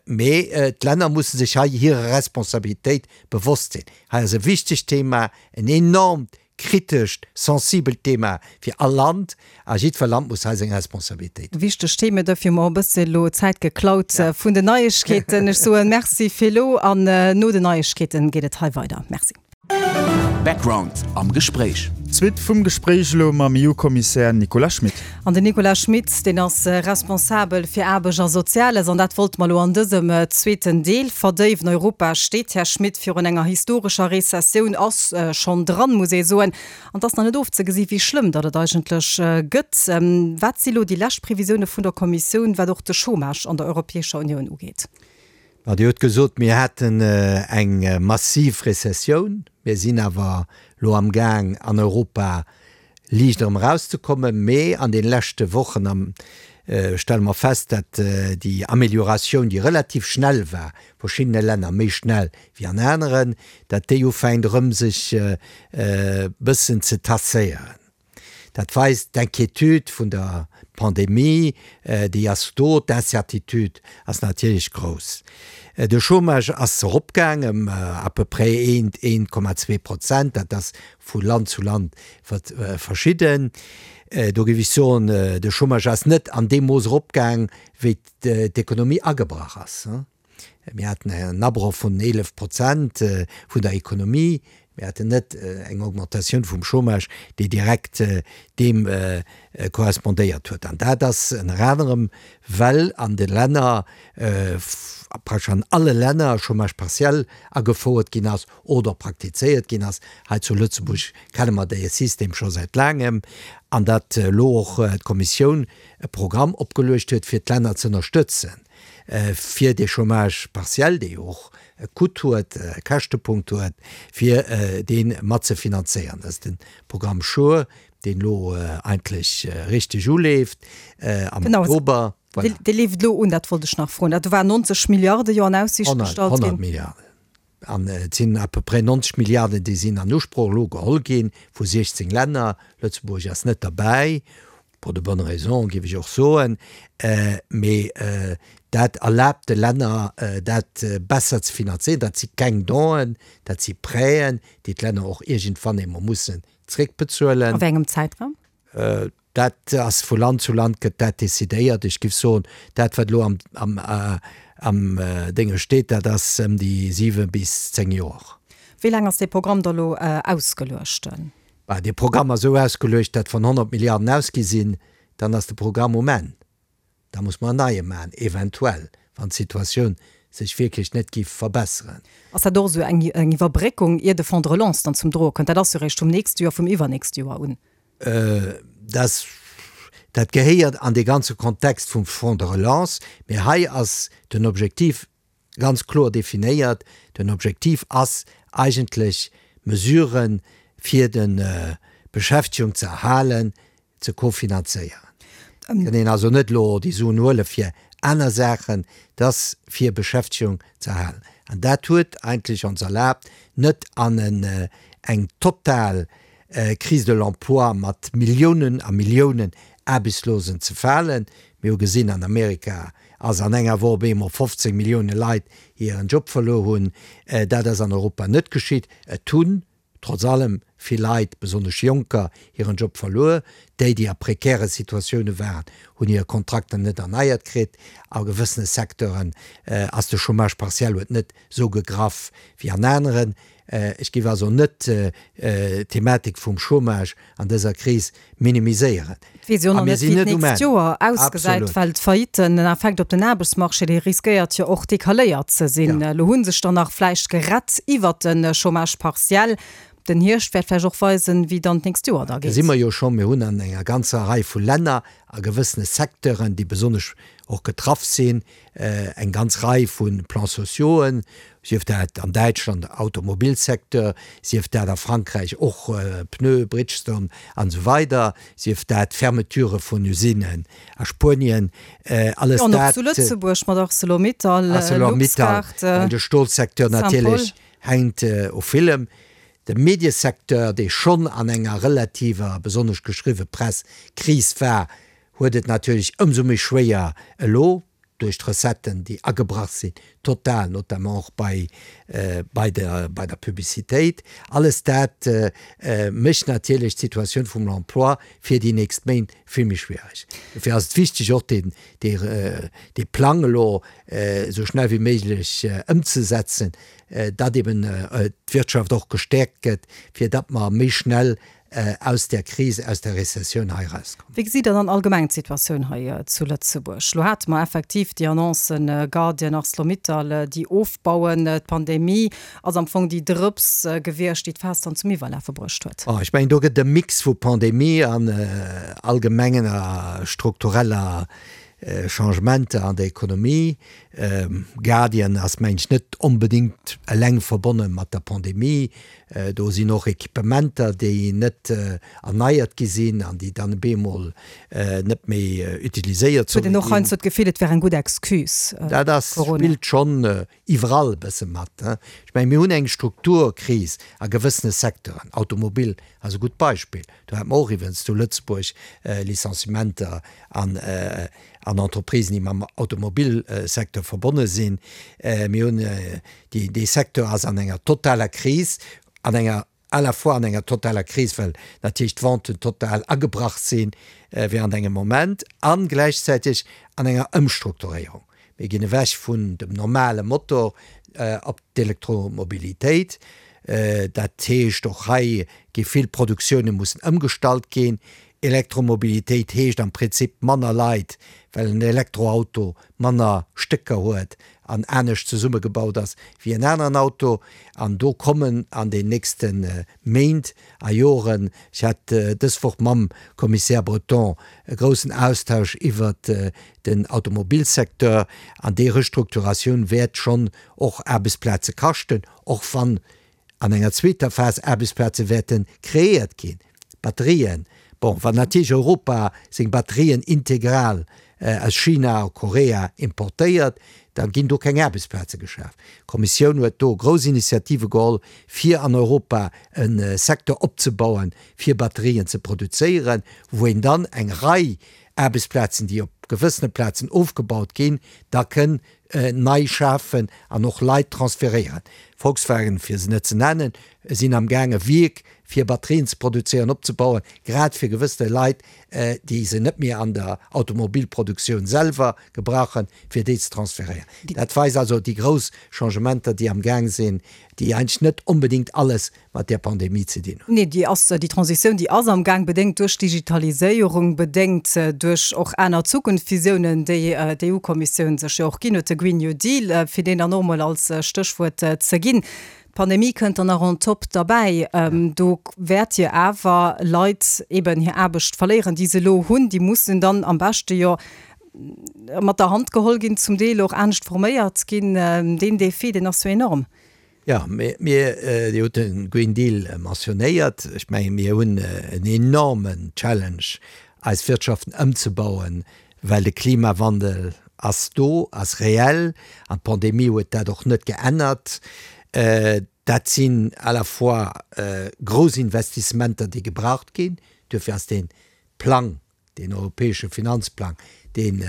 S4: mee d'Länner musse sech hei hirer Responsabilitéit bewosst sinn. Hei ass e wichtegt Thema, en enormt kritescht, sensibelt Thema fir all Land, a jiddwer Land muss hei seng Responsabilitéit.
S3: Wichteg Themen, dofir hu mer och e bësse elo Zäit geklaut vun den Neiegkeeten. Ech soen Merci fir elo an no den Neiegkeeten geet et hei weider. Merci.
S1: Background am Gespréich.
S2: D'Suite vum Gespréich elo mam E U-Kommissär Nicolas Schmit.
S3: An den Nicolas Schmit, deen ass responsabel fir Aarbecht a Soziales an dat wollte mer elo an dësem zweeten Deel verdéiwen. Europa steet, Här Schmit, virun enger historescher Rezessioun, ass schonn dran, muss ee soen. An et ass nach net ofzegesi wéi schlëmm datt et eigentlech gëtt. Wat si elo déi lescht Previsioune vun der Kommissioun, wat och de Chômage an der Europäescher Unioun ugeet?
S4: Ma Dir hutt gesot, mir hätten eng massiv Rezessioun. Mir sinn awer elo amgaang an Europa liicht erëm erauszekommen. Mee an de leschte Wochen stelle mer fest, datt déi Amélioratioun, déi relativ schnell war, verschiddene Länner méi schnell wéi an aneren, datt déi ufänkt erëm sech e bëssen ze tasséieren. Dat weist, d'Inquiétude vun der Pandemie, déi ass do, d'Incertitude ass natierlech grouss. De Chômage ass eropgaang ëm à peu près eent, eent Komma zwee Prozent, dat ass vu Land zu Land verschidden. Do géif ech soen, de Chômage ass net an deem Mooss eropgaang, wéi d'Ekonomie agebrach ass. Mir haten en Abroch vun eelef Prozent vun der Ekonomie. Mir haten net eng Augmentatioun vum Chômage, déi direkt deem korrespondéiert huet. An dat ass ënner anerem, well an de Länner, praktesch an alle Länner, Chômage partiel agefouert ginn ass oder praktizéiert ginn ass. Hei zu Lëtzebuerg kenne mer dee System scho säit laangem. An datt elo och d'Kommissioun e Programm opgeluecht huet, fir d'Länner ze ënnerstëtzen, fir dee Chômage partiel, dee jo och e Coût huet, e Käschtepunkt huet, fir dee mat ze finanzéieren. Dat ass de Programm SURE, deen elo eigentlech richteg uleeft am Oktober.
S3: Genau, dee leeft elo un, dat wollt ech nach froen. Dat war neunzeg Milliarde jo an Aussiicht gestallt ginn.
S4: Honnert Milliarden. An et sinn à peu près neunzeg Milliarden, déi sinn an Usproch elo geholl gi vu siechzéng Länner. Lëtzebuerg ass net derbäi, pour de bonnes raisons, géif ech och soen. Mee dat erlaabt de Länner, dat besser ze finanzéieren. Dat si keng Donen, dat si Prêten, déi d'Länner och iergendwann eemol mussen zréckbezuelen.
S3: A wéi engem Zäitraum?
S4: Dat ass vu Land zu Land gëtt dat decidéiert. Ech géif soen, dat wat elo am, am, am Dénge steet, dat ass ëm déi siwe bis zéng Joer.
S3: Wéi laang ass dee Programm da elo ausgeluecht?
S4: Bah, dee Programm ass esou ausgeluecht, datt wann honnert Milliarden ausgi sinn, dann ass de Programm um Enn. Da muss mer en neie maachen, eventuell, wann d'Situatioun sech wierklech net géif verbesseren.
S3: Ass dat och esou eng Iwwerbréckung, ier de Fonds de relance dann zum Droe kënnt? Dat ass jo eréischt vum nächste Joer, vum iwwernächste Joer un.
S4: Dat, dat gehéiert an dee ganze Kontext vum Fonds de relance. Mee hei ass den Objektiv ganz kloer definéiert. Den Objektiv ass eigentlech, Mesuren, fir d'Beschäftegung ze erhalen, ze kofinanzéieren. Et kann een also net elo déi Suen huele fir aner Saachen, et ass fir Beschäftegung ze erhalen. An dat huet eigentlech ons erlaabt, net an eng total Crise de l'emploi mat Milliounen a Milliounen Aarbechtslosen ze falen. Mir hu gesinn, an Amerika ass an enger Woch op eemol fofzéng Millioune Leit hiren Job verluer hunn. Dat ass an Europa net geschitt. Et hunn trotz allem vill Leit, besonnesch Jonker, hiren Job verluer. Déi, déi a prekäre Situatioune waren, hunn hir Kontrakter net erneiert kritt. A gewëssene Secteuren ass de Chômage partiel huet net esou gegraff wéi an aneren. Ech géif also net d'Thematik vum Chômage an dëser Kris minimiséieren.
S3: Et weess jo och
S4: A
S3: nach
S4: mir
S3: net,
S4: sinn
S3: wéi
S4: net um
S3: d'nächst
S4: Enn.
S3: Joer ausgesäit,
S4: Absolut.
S3: well d'Faillitten, den Effekt op den Aarbechtsmarché, dee riskéiert jo och decaléiert ze sinn.
S4: Ja.
S3: Elo hu sech der nach vläicht gerett iwwert de Chômage partiel. Den Hierscht wäert vläicht och weisen, wéi dann d'nächst Joer da
S4: Da
S3: geet.
S4: si mer jo schonn. Mir hunn an enger ganzer Rei vu Länner a gewëssene Secteuren, déi besonnesch och getraff sinn, eng ganz Rei vu Plans sociauxen, sief dat an Däitschland Automobilsecteur, sief dat a Frankräich och Pneue, Bridgestone an esou weider, sief dat Fermeturë vun Usinen a Spuenien, alles
S3: Jo, an och
S4: dat.
S3: zu Lëtzebuerg mat Arcelor-Mittal,
S4: Arcelor-Mittal,
S3: Luxguard,
S4: well de Stolsecteur
S3: Saint-Paul.
S4: natierlech hänkt u villem. De Mediesecteur, dee schonn an enger relativer, besonnesch geschriwwe Press, Kris war, huet et natierlech ëmsou méi schwéier elo, duerch d'Recetten, déi agebrach sinn, total, notamment och bei, bei der, bei der Publicitéit. Alles dat mécht natierlech d'Situatioun vum Emploi fir déi nächst Méint vill méi schwiereg. Dofir ass et wichteg, och deen, dee, dee Plang elo esou schnell wéi méiglech ëmzesetzen, datt eben d'Wirtschaft och gestäerkt gëtt, fir datt mer méi schnell aus där Kris, aus der Rezessioun hei erauskommen.
S3: Wéi gesitt Der dann allgemeng d'Situatioun hei zu Lëtzebuerg? Elo hate mer effektiv déi Annoncen, Guardian, Arcelor-Mittal, déi ofbauen. D'Pandemie ass am Fong déi Drëps gewiescht, déi d'Faass dann zum Iwwerlafe bruecht huet.
S4: Ech mengen, do gëtt e Mix vu Pandemie an allgemengen a struktureller Changementer an der Ekonomie. Guardian ass, mengen ech, net onbedéngt eleng verbonne mat der Pandemie. Do sinn och Equipementer, déi net erneiert gi sinn an déi dann op eemol net méi utiliséiert
S3: Huet
S4: solle
S3: een och
S4: ginn.
S3: heiansdo d'Gefill, et wär eng gutt Excuse,
S4: Dat ass,
S3: Corona.
S4: spillt schonn iwwerall e bësse mat. Ech mengen, mir hunn eng Strukturkris a gewëssene Secteuren. Automobil ass e gutt Beispill. Do hate mer och iwwregens zu Lëtzebuerg Licenciementer an an Entreprisen, déi mam Automobilsecteur verbonne sinn. Mir hunn, déi, dee Secteur ass an enger totaler Kris, an enger, à la fois an enger totaler Kris, well natierlech d'Venten total agebrach sinn während engem Moment, a gläichzäiteg an enger Ëmstrukturéierung. Mir ginn ewech vun dem normale Motor op d'Elektromobilitéit. Dat heescht, och hei gi vill Produktioune mussen ëmgestallt ginn. Elektromobilitéit heescht am Prinzip manner Leit, well en Elektroauto manner Stécker huet an anescht zesummegebaut ass wéi en aneren Auto. An do kommen an den nächste Méint a Joren, ech hat dës Woch mam Kommissär Breton e groussen Austausch iwwert den Automobilsecteur, an déi Restrukturatioun wäert schonn och Aarbechtsplaze kaschten, och wann an enger zweeter Phas Aarbechtsplaze wäerte kreéiert ginn. Batterien, bon, wann natierlech Europa seng Batterien integral aus China a Korea importéiert, da ginn do keng Aarbechtsplaze geschaf. D'Kommissioun huet do grouss Initiative geholl, fir an Europa e Secteur opzebauen, fir Batterien ze produzéieren, wou een dann eng Rei Aarbechtsplazen, déi op gewëssene Plazen ofgebaut ginn, da kënn nei schafen an och Leit transferéieren. Volkswagen, fir se net ze nennen, sinn am Gaang e Wierk fir Batterien ze produzéieren opzebauen, grad fir gewëssene Leit, déi se net méi an der Automobilproduktioun selwer gebrauchen, fir déi ze transferéieren. Dat weist also déi grouss Changementer, déi am Gaang sinn, déi eigentlech net onbedéngt alles mat där Pandemie ze dinn hunn.
S3: Nee, déi ass, déi Transitioun, déi ass am Gaang, bedéngt duerch d'Digitaliséierung, bedéngt duerch och aner Zukunftsvisiounen, déi d'EU-Kommissioun sech jo och ginn huet, de Green New Deal, fir deen dann och emol als Stéchwuert ze ginn. D'Pandemie kënnt dann nach on top derbäi. Do wäert jo awer Leit eben hir Aarbecht verléieren, déi se elo hunn. Déi mussen dann am beschte jo mat der Hand geholl ginn, zum Deel och anescht forméiert ginn. Deen Defi, deen ass jo enorm.
S4: Jo, mir, mir, Dir hutt de Green Deal mentionnéiert. Ech menge mir hunn en enormen Challenge, eis Wirtschaften ëmzebauen, well de Klimawandel ass do, ass reell an d'Pandemie huet dat och net geännert. Dat sinn à la fois grouss Investissementer, déi gebraucht ginn. Duerfir ass dee Plang, deen europäesche Finanzplang, deen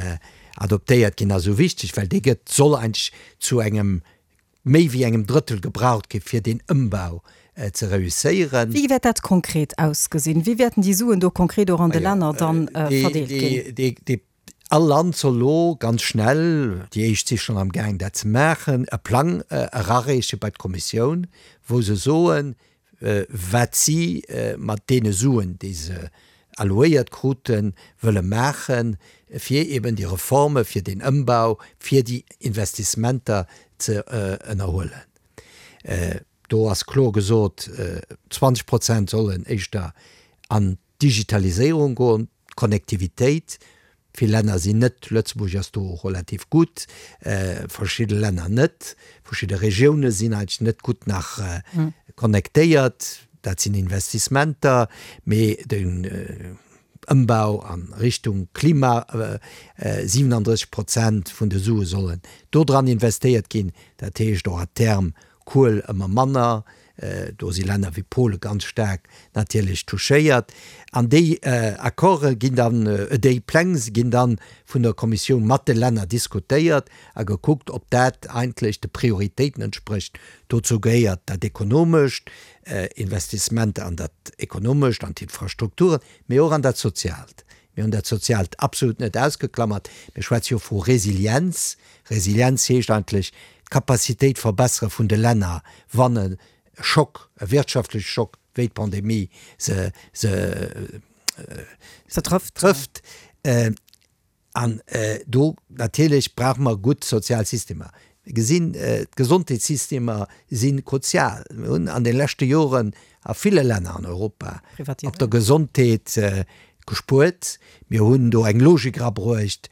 S4: adoptéiert ginn ass, esou wichteg, well dee gëtt, soll eigentlech zu engem méi wéi engem Drëttel gebraucht gi fir deen Ëmbau ze reusséieren.
S3: Wéi wäert dat konkret ausgesinn? Wéi wäerten déi Suen do konkret och an de Länner dann verdeelt ginn?
S4: Déi, all Land soll elo ganz schnell, déi éischt si schonn am Gaang dat ze maachen, e Plang erareeche bei d'Kommissioun, wou se soen, wat si mat deene Suen, déi se allouéiert kruten, wëlle maachen, fir eben déi Reforme, fir deen Ëmbau, fir déi Investissementer ze ënnerhuelen. Do ass kloer gesot, zwanzeg Prozent sollen éischter an d'Digitaliséierung goen, d'Connectivitéit. Vill Länner sinn net, Lëtzebuerg ass do relativ gutt, verschidde Länner net, verschidde Regioune sinn eigentlech net gutt nach connectéiert. Dat sinn Investissementer, mee den Ëmbau a Richtung Klima, siwenandrësseg Prozent vun de Sue sollen do dran investéiert ginn, dat heescht och à terme Kuel ëmmer manner. Do si Länner wéi Pole ganz staark natierlech touchéiert. An déi Accorde ginn dann, déi Pläng ginn dann vun der Kommissioun mat de Länner diskutéiert a gekuckt, ob dat eigentlech de Prioritéiten entsprécht. Dozou gehéiert dat Ekonomescht, Investissementer an dat Ekonomescht, an d'Infrastrukturen, mee och an dat Soziaalt. Mir hunn dat Soziaalt absolut net ausgeklammert. Mir schwätze jo vu Resilienz. Resilienz heescht eigentlech d'Capacitéit verbessere vun de Länner, wann e Schock, e wirtschaftleche Schock wéi d'Pandemie se se trëfft. An do natierlech brauche mer gutt sozial Systemer. Mir gesinn, d'Gesondheetssystemer si kruzial. Mir hunn an de leschte Joren a ville Länner an Europa op der Gesondheet gespuert. Mir hunn do eng Logik erabruecht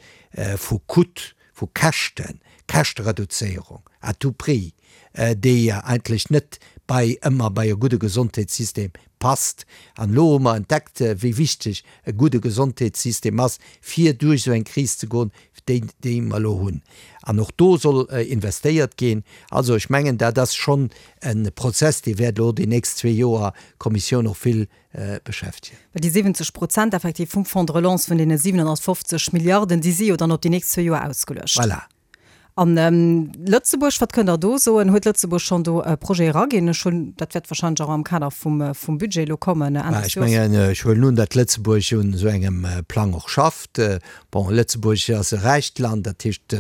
S4: vu Coût, vu Käschten, Käschtereduzéierung à tout prix, déi eigentlech net bei ëmmer bei e gudde Gesondheetssystem passt. An elo hu mer entdeckt, wéi wichteg e gudde Gesondheetssystem ass, fir duerch esou eng Kris ze goen, déi, déi mer elo hunn. An och do soll investéiert ginn. Also ech mengen, dat ass schonn e Prozess, dee wäert elo déi nächst zwee Joer d'Kommissioun och vill beschäftegen.
S3: Well déi siwwenzeg Prozent effektiv vum Fonds de relance, vun deene siwenhonnertfofzeg Milliarden, déi si jo dann op déi nächst zwee Joer ausgeluecht.
S4: Voilà.
S3: An Lëtzebuerg, wat kënnt Der do soen? Huet Lëtzebuerg schonn do e Projet eraginn? Ech hunn, dat wäert wahrscheinlech och am Kader vum, vum Budget elo kommen, Enn des
S4: Ech
S3: Joers.
S4: mengen, ech huelen un, datt Lëtzebuerg un esou engem Plang och schafft. Bon, Lëtzebuerg ass e räicht Land, dat heescht,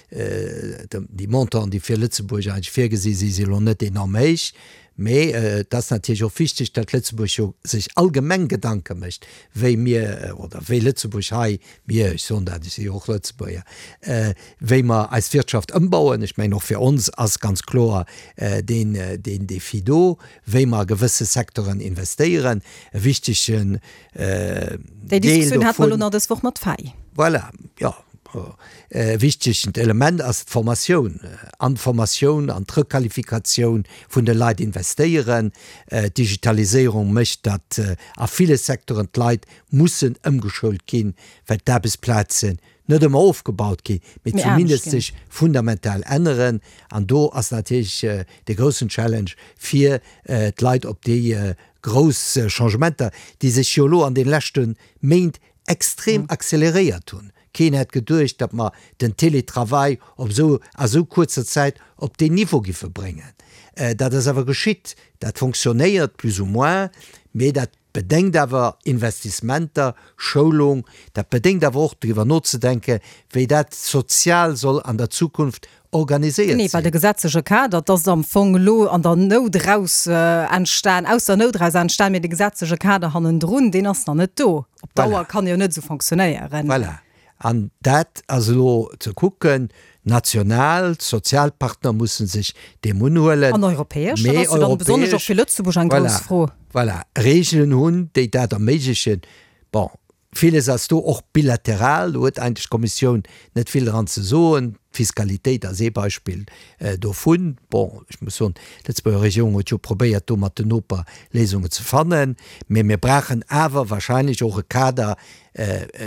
S4: déi Montanten, déi fir Lëtzebuerg eigentlech virgesi si, si elo net enorm héich. Mee et ass natierlech och wichteg, datt Lëtzebuerg jo sech allgemeng Gedanke mécht, wéi mir oder wéi Lëtzebuerg hei, mir, ech soen dat, ech si jo och Lëtzebuerger, wéi mer eis Wirtschaft ëmbauen. Ech mengen, och fir ons ass ganz kloer deen, deen Défi do, wéi mer a gewësse Secteuren investéieren. E wichtegen
S3: Déi
S4: Deel
S3: Diskussioun hate mer elo
S4: dovun.
S3: nach dës Woch mat Fay.
S4: Voilà, jo. E wichtegent Element ass d'Formatioun. An d'Formatioun, an d'Requalifikatioun vun de Leit investéieren. D'Digitaliséierung mécht, datt a ville Secteuren d'Leit mussen ëmgeschoult ginn, well d'Aarbechtsplazen net ëmmer ofgebaut ginn, mee zumindest sech fundamental änneren. An do ass natierlech de groussen Challenge, fir d'Leit op déi grouss Changementer, déi sech jo elo an de leschte Méint extrem acceleréiert hunn. Keen hätt geduecht, datt mer den Télétravail op esou, a esou kuerzer Zäit op deen Niveau giffe bréngen. Dat ass awer geschitt. Dat fonctionnéiert plus ou moins, mee dat bedéngt awer Investissementer, Schoulung. Dat bedéngt awer och driwwer nozedenken, wéi dat sozial soll an der Zukunft organiséiert
S3: Genee, well
S4: sinn.
S3: de gesetzleche Kader, dat ass am Fong elo an der Nout eraus entstan, aus der Nout eraus entstan, mee de gesetzleche Kader hannendrun, deen ass nach net do. Op Dauer
S4: Voilà.
S3: kann e jo net esou fonctionnéieren.
S4: Voilà. An dat ass elo ze kucken, national, d'Sozialpartner musse sech deem unhuelen.
S3: An europäesch, dat
S4: Mee
S3: ass jo dann besonnesch och
S4: europäesch,
S3: fir Lëtzebuerg eng grouss
S4: voilà,
S3: Fro.
S4: voilà, Regeln hunn, déi dat erméiglechen. Bon, villes ass do och bilateral, do huet eigentlech d'Kommissioun net vill dran ze soen. D'Fiskalitéit ass ee Beispill dovun. Bon, ech muss soen, d'Lëtzebuerger Regierung huet jo probéiert, do mat den Noper Léisungen ze fannen. Mee mir brauchen awer wahrscheinlech och e Kader,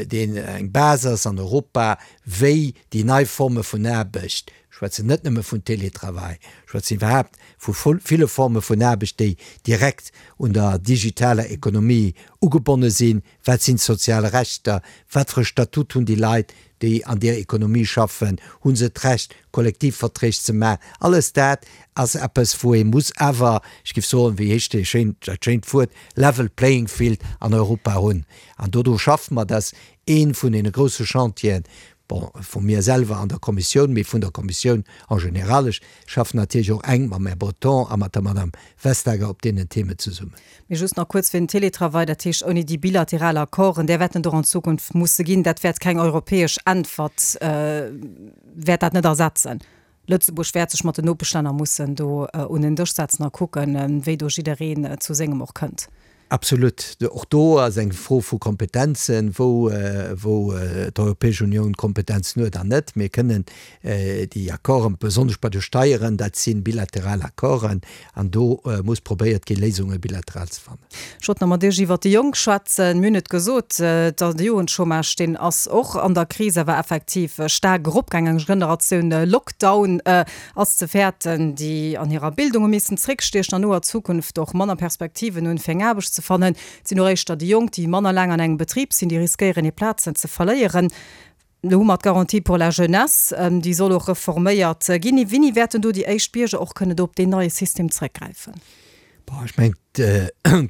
S4: deen eng Base ass an Europa, wéi déi nei Forme vun Aarbecht, ech schwätzen net nëmme vun Télétravail, ech schwätzen iwwerhaapt vu ville Forme vun Aarbecht, déi direkt un der digitaler Ekonomie ugebonne sinn, wat sinn d'sozial Rechter, wat fir e Statut hunn déi Leit, déi an där Ekonomie schaffen, hu se d'Recht, Kollektivverträg ze maachen. Alles dat ass eppes, wou ee muss awer, ech géif soen, wéi heescht dee schéin, dat schéint Wuert, level playing field an Europa hunn. An dodu schaffe mer. Dat ass ee vun deene grousse Chantieren, bon, vu mir selwer an der Kommissioun, mee vun der Kommissioun en général. Ech schaffen natierlech och enk mam Här Breton a mat der Madame Vestager op deenen Themen zesummen.
S3: Mee just nach kuerz fir den Télétravail, dat heescht ouni déi bilateral Accorden, där wäerten do an Zukunft musse ginn, dat wäert keng europäesch Äntwert, wäert dat net ersetzen. Lëtzebuerg wäert sech mat den Nopeschlänner mussen do un en Dësch setzen a kucken, wéi do jiddereen zu sengem och kënnt.
S4: Absolut. Och do ass eng Fro vu Kompetenzen, wou, wou d'Europäesch Unioun Kompetenzen huet an net. Mir kënnen déi Accorden, besonnesch bei de Steieren, dat si bilateral Accorden, an do muss probéiert ginn, Léisunge bilateral ze fannen.
S3: Ech wollt nach mat Iech iwwert déi Jonk schwätzen. Mir hunn et gesot, de Jugendchômage, deen ass och an der Kris awer effektiv staark eropgaangen. Eng Generatioun Lockdown ass ze fäerten, déi an hirer Bildung hu missen zréckstiechen an noer Zukunft och manner Perspektiven hunn, fir eng Aarbecht ze fannen. Et sinn och éischter déi Jonk, déi manner laang an engem Betrib sinn, déi riskéieren, hir Plazen ze verléieren. Elo hu mer d'Garantie pour la jeunesse, déi soll och reforméiert ginn. Wéini wäerten do déi éischt Bierger och kënnen do op deen neie System zréckgräifen?
S4: Bon, ech mengen,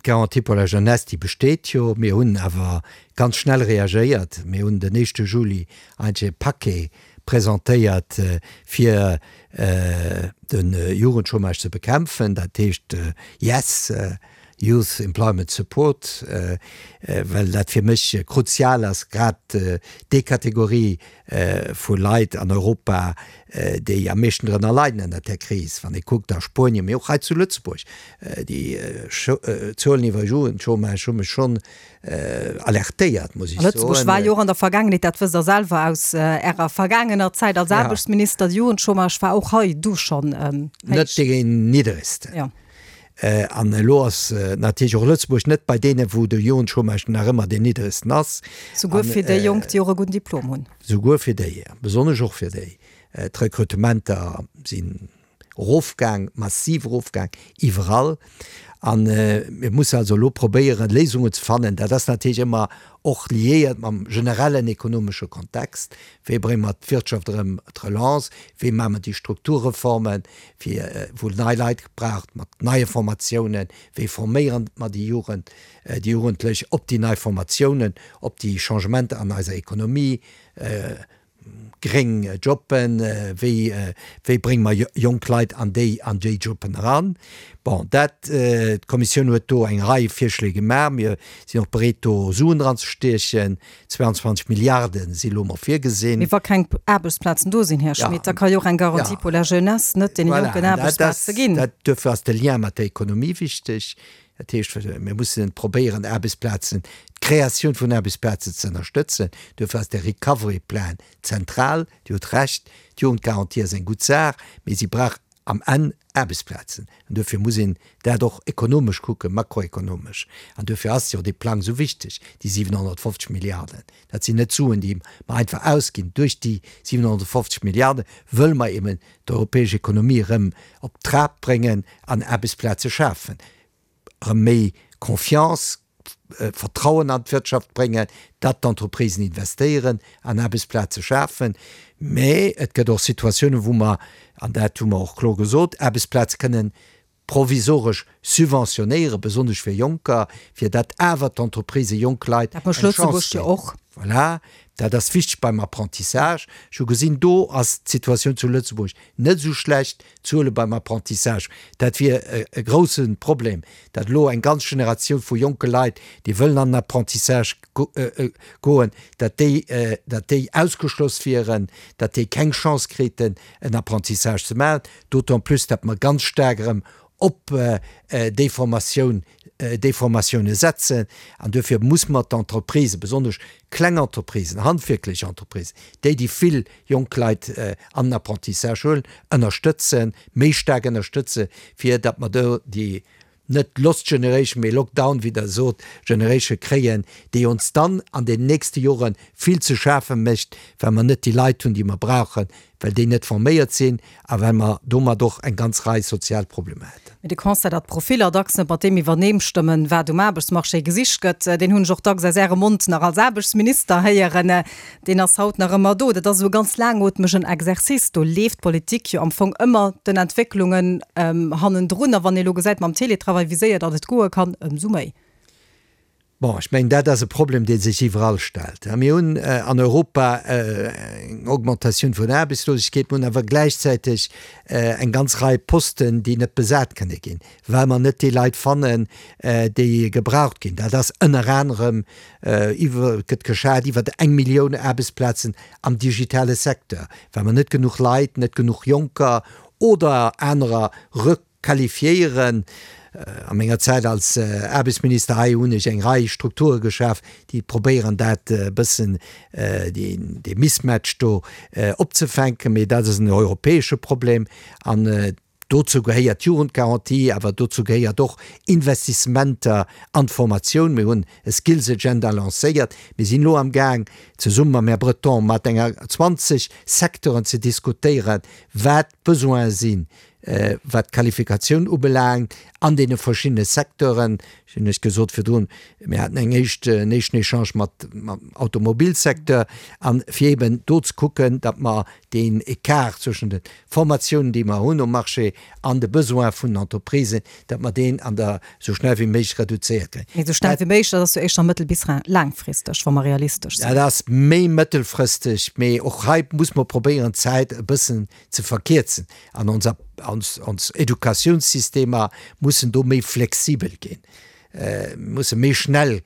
S4: d'Garantie pour la jeunesse, déi besteet jo. Mir hunn awer ganz schnell reagéiert. Mir hunn den éischte Juli eigentlech e Paquet presentéiert, fir de Jugendchômage ze bekämpfen, dat heescht YES, Youth Employment Support, well dat fir mech kruzial ass, grad déi Kategorie vu Leit an Europa, déi am meeschten drënner leiden ënnert där Kris. Wann ee kuckt a Spuenien, mee och hei zu Lëtzebuerg, déi Zuelen iwwer Jugendchômage hu mech schonn alertéiert, muss ech soen.
S3: A Lëtzebuerg war jo och an der Vergaangenheet, dat wësst Der selwer aus Ärer vergaangener Zäit als Aarbechtsminister, de Jugendchômage war och hei du schonn
S4: héich. Net dee nidderegsten. An elo ass natierlech och Lëtzebuerg net bei deenen, wou de Jugendchômage nach ëmmer deen nidderegsten ass.
S3: Souguer fir déi Jonk, déi och e gudden Diplom hunn.
S4: Souguer fir déi, besonnesch och fir déi. D'Rekrutementer sinn erofgaang, massiv erofgaang, iwwerall. A mir mussen also elo probéieren, Léisungen ze fannen. Dat ass natierlech ëmmer och liéiert mam generellen ekonomesche Kontext. Wéi brénge mer d'Wirtschaft erëm, d'Relance? Wéi maache mer déi Strukturreformen, fir wou nei Leit braucht mat neie Formatiounen? Wéi forméieren mer déi Jugend, déi Jugendlech op déi nei Formatiounen, op déi Changementer an eiser Ekonomie? Gréng Jobben, wéi wéi brénge mer jonk Leit an déi an déi Jobben eran? Bon, dat, d'Kommissioun huet do eng Rei Virschléi gemaach. Mir sinn och bereet do Suen dran ze stiechen. zweiundzwanzeg Milliarde si lo mol virgesinn.
S3: Mee wa keng Aarbechtsplazen do sinn, Här Schmit, da ka jo och eng Garantie pour la jeunesse net deene Jonken Aarbechtsplaze ginn.
S4: Voilà, dat, duerfir ass de Lien mat der Ekonomie wichteg. Dat heescht, mir mussen probéieren, Aarbechtsplazen, d'Kreatioun vun Aarbechtsplazen ze ënnerstëtzen. Duerfir ass de Recovery Plan zentral. Dir hutt Recht, d'Jugendgarantie ass eng gutt Saach, mee si brauch am Enn Aarbechtsplazen. An duerfir muss een dat och ekonomesch kucken, makroekonomesch. An duerfir ass jo dee Plang esou wichteg, déi siwenhonnertfofzeg Milliarden. Dat sinn net Suen, déi mer einfach ausginn. Duerch déi siwenhonnertfofzeg Milliarde wëlle mer eben d'europäesch Ekonomie erëm op Trab bréngen an Aarbechtsplaze schafen. Erëm méi Confiance, Vertrauen an d'Wirtschaft bréngen, datt d'Entreprisen investéieren an Aarbechtsplaze schafen. Mä et gëtt och Situatiounen, wou mer, an dat hu mer och kloer gesot, Aarbechtsplaze kënnen provisoresch subventionéieren, besonnesch fir Jonker, fir datt awer d'Entreprisë jonk Leit
S3: eng Chance ginn.
S4: Voilà, dat ass wichteg beim Apprentissage. Ech hu gesinn, do ass d'Situatioun zu Lëtzebuerg net esou schlecht, d'Zuele beim Apprentissage. Dat wier e grousse Problem, datt elo eng ganz Generatioun vu jonke Leit, déi wëllen an den Apprentissage goen, datt déi, datt déi ausgeschloss wieren, datt déi keng Chance kriten, en Apprentissage ze maachen. D'autant plus, datt mer ganz staark erëm op déi Formatioun, déi Formatioune setzen. An duerfir muss mer d'Entreprisen, besonnesch kleng Entreprisen, handwierklech Entreprisen, déi, déi vill jonk Leit an den Apprentissage huelen, ënnerstëtzen, méi staark ënnerstëtzen, fir datt mer do déi net Lost Generation, mee Lockdown, wéi Der sot, Generation kréien, déi ons dann an den nächste Jore vill ze schafe mécht, well mer net déi Leit hunn, déi mer brauchen, well déi net forméiert sinn a well mer domat och eng ganz Rei sozial Problemer hätten.
S3: Mee de Constat, datt d'Profiller dacks net mat deem iwwerneemstëmmen, wat um Aarbechtsmarché gesicht gëtt, deen hunn ech och dacks aus Ärem Mond nach als Aarbechtsminister héieren, deen ass haut nach ëmmer do. Dat ass esou e ganz laangootmegen Exercice. Do leeft d'Politik jo am Fong ëmmer den Entwécklungen hannendrun. A wann ee elo gesäit mam Teletravail, wéi séier datt et goe kann, ëmsou méi.
S4: Bon, ech mengen, dat ass e Problem, dee sech iwwerall stellt. Mir hunn an Europa eng Augmentatioun vun der Aarbechtslosegkeet, mir hunn awer gläichzäiteg eng ganz Rei Posten, déi net besat kënne ginn, well mer net déi Leit fannen, déi gebraucht ginn. Dat ass ënner anerem iwwer, gëtt geschat iwwer eng Millioun Aarbechtsplazen am digitale Secteur, well mer net genuch Leit, net genuch Jonker oder anerer requalifiéieren. A menger Zäit als Aarbechtsminister hei hunn ech eng Rei Strukture geschaf, déi probéieren dat e bëssen, dee Mismatch do opzefänken. Mee dat ass en europäesche Problem an dozou gehéiert d'Jugendgarantie, awer dozou gehéiert och Investissementer an d'Formatioun. Mir hunn e Skills Agenda lancéiert. Mir sinn elo amgaang, zesumme mam Här Breton mat enger zwanzeg Secteuren ze diskutéieren, wat d'Besoine sinn, wat d'Qualifikatioun ubelaangt an deene verschiddene Secteuren. Ech hunn lech gesot virdrun, mir haten eng éischt, en éischten Echange mat, mam Automobilsecteur, an fir eeben do ze kucken, datt mer deen Ecart zwëschen de Formatiounen, déi mer hunn um Marché, an de Besoin vun den Entreprisen, datt mer deen an der esou schnell wéi méiglech reduzéiert kréien.
S3: Mee esou schnell wéi méiglech, dat ass jo éischter mëttel bis laangfristeg, wa mer realistesch sinn.
S4: Dat ass méi mëttelfristeg, mee och hei muss mer probéieren, d'Zäit e bëssen ze verkierzen. An onser, ons, ons Educatiounssystemer mussen do méi flexibel ginn, musse méi schnell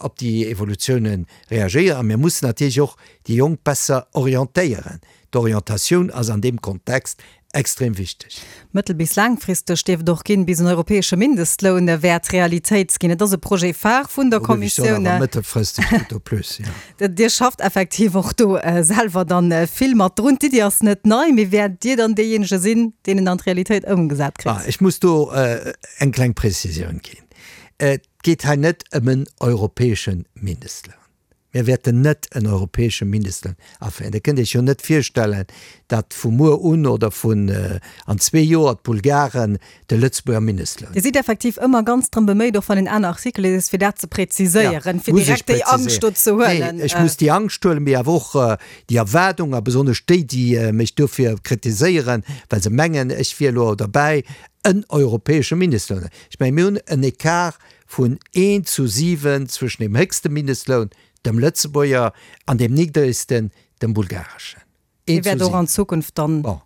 S4: op déi Evolutiounen reagéieren. A mir mussen natierlech och déi Jonk besser orientéieren. D'Orientatioun ass an deem Kontext extrem wichteg.
S3: Mëttel bis laangfristeg dierf et och ginn, bis en europäesche Mindestloun wäert Realitéit ginn. Et ass e Projet phare vun der Kommissioun.
S4: Mëttelfristeg tout au plus, jo.
S3: Dir schafft effektiv och do selwer dann vill mat drun. D'Iddi ass net nei, mee wäert Dir dann deejéinege sinn, deen en an d'Realitéit ëmgesat kritt?
S4: Ech muss do eng kleng Prezisioun ginn. Et geet hei net ëm en europäesche Mindestloun. Mir wäerten net en europäesche Mindestloun aféieren. Dir kënnt Iech jo net virstellen, datt vu muer un oder vun an zwee Joer d'Bulgaren de Lëtzebuerger Mindestloun.
S3: Dir sidd effektiv ëmmer ganz drëm beméit, och wann een aner Artikele liest, fir dat ze präziséieren, fir direkt déi Angscht do ze huelen.
S4: Nee, ech muss déi Angscht huelen, mee awer och déi Erwaardung, a besonnesch déi, déi mech dofir kritiséieren, well se mengen, ech wier elo derbäi, en europäesche Mindestloun. Ech mengen, mir hunn en Ecart vun eent zu siwen zwëschen dem héchste Mindestloun, dem Lëtzebuerger, an deem niddregsten, dem bulgareschen.
S3: Dee wäert och an Zukunft dann.
S4: Bon,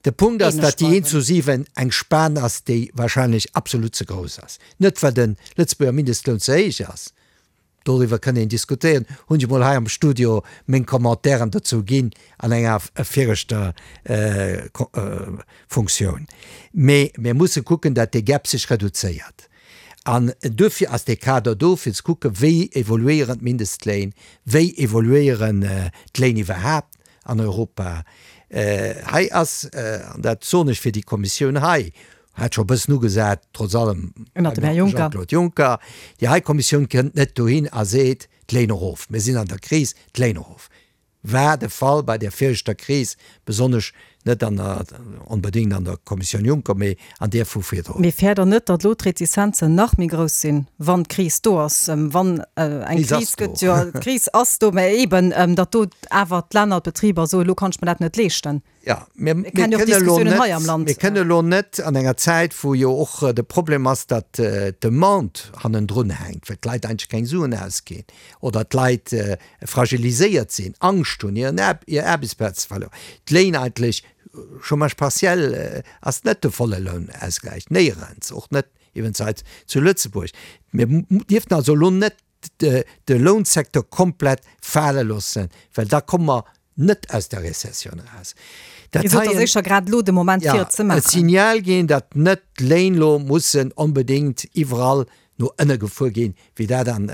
S4: de Punkt ass, datt déi eent zu siwen eng Span ass, déi wahrscheinlech absolut ze grouss ass. Net well de Lëtzebuerger Mindestloun ze héich ass, doriwwer kënn een diskutéieren, hunn ech emol hei am Studio meng Commentairen dozou ginn an enger viregter Funktioun. Mee mir musse kucken, datt dee Gap sech reduzéiert. An duerfir ass dee Kader do, fir ze kucken, wéi evoluéieren d'Mindestléin, wéi evoluéieren d'Léin iwwerhaapt an Europa. Hei ass, an dat soen ech fir déi Kommissioun hei, hat scho e bëssen ugesat, trotz allem
S3: Ënnert dem Här Juncker.
S4: Jean-Claude Juncker, déi hei Kommissioun kënnt net dohin a seet, d'Léin erof, mir sinn an der Kris, d'Léin erof. War de Fall bei där viregter Kris, besonnesch net an der, onbedéngt an der Kommissioun Juncker, mee an där vu virdrun.
S3: Mee fäert Der net, datt elo d'Retizenzen nach méi grouss sinn, wann d'Kris do ass, wann eng Kris gëtt? Jo, d'Kris ass do, mä eeben, datt do awer d'Länner, d'Betriber soen, elo kann ech mer dat net leeschten.
S4: Jo, mir kënnen elo net, mir kënnen elo net an enger Zäit, wou jo och de Problem ass, datt d'Demande hannendrun hänkt, well d'Leit eigentlech keng Suen ausginn oder d'Leit fragiliséiert sinn, Angscht hunn, hir Aarbechtsplaz ze verlueren, d'Léin eigentlech, Chômage partiel ass net de volle Lounausgläich, néierens, och net iwwens hei zu Lëtzebuerg. Mir dierften also elo net de Lounsecteur komplett fale loossen, well da komme mer net aus der Rezessioun eraus.
S3: Dat Dir sot, ass éischer grad elo de Moment, fir et ze maachen.
S4: E Signal ginn, datt net d'Léin elo mussen onbedéngt iwwerall no ënne gefuer ginn, wéi dat an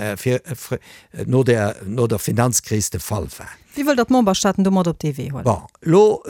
S4: no der no der Finanzkris de Fall war.
S3: Wéi wëllt Der d'Memberstaaten domat op dee Wee huelen?
S4: Bon, elo,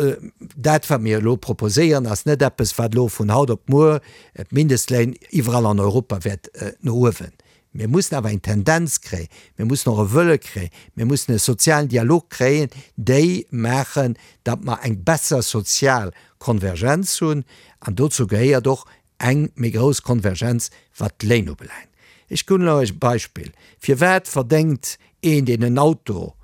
S4: dat wat mir elo proposéieren, ass net eppes, wat elo vun haut op muer d'Mindestléin iwwerall an Europa wäert no uewen. Mir mussen awer eng Tendenz kréien, mir mussen och e Wëlle kréien, mir mussen e sozialen Dialog kréien, déi maachen, datt mer eng besser sozial Konvergenz hunn. An dozou gehéiert och eng méi grouss Konvergenz, wat d'Léin ubelaangt. Ech ginn lech e Beispill, Firwat verdéngt een, deen en Auto,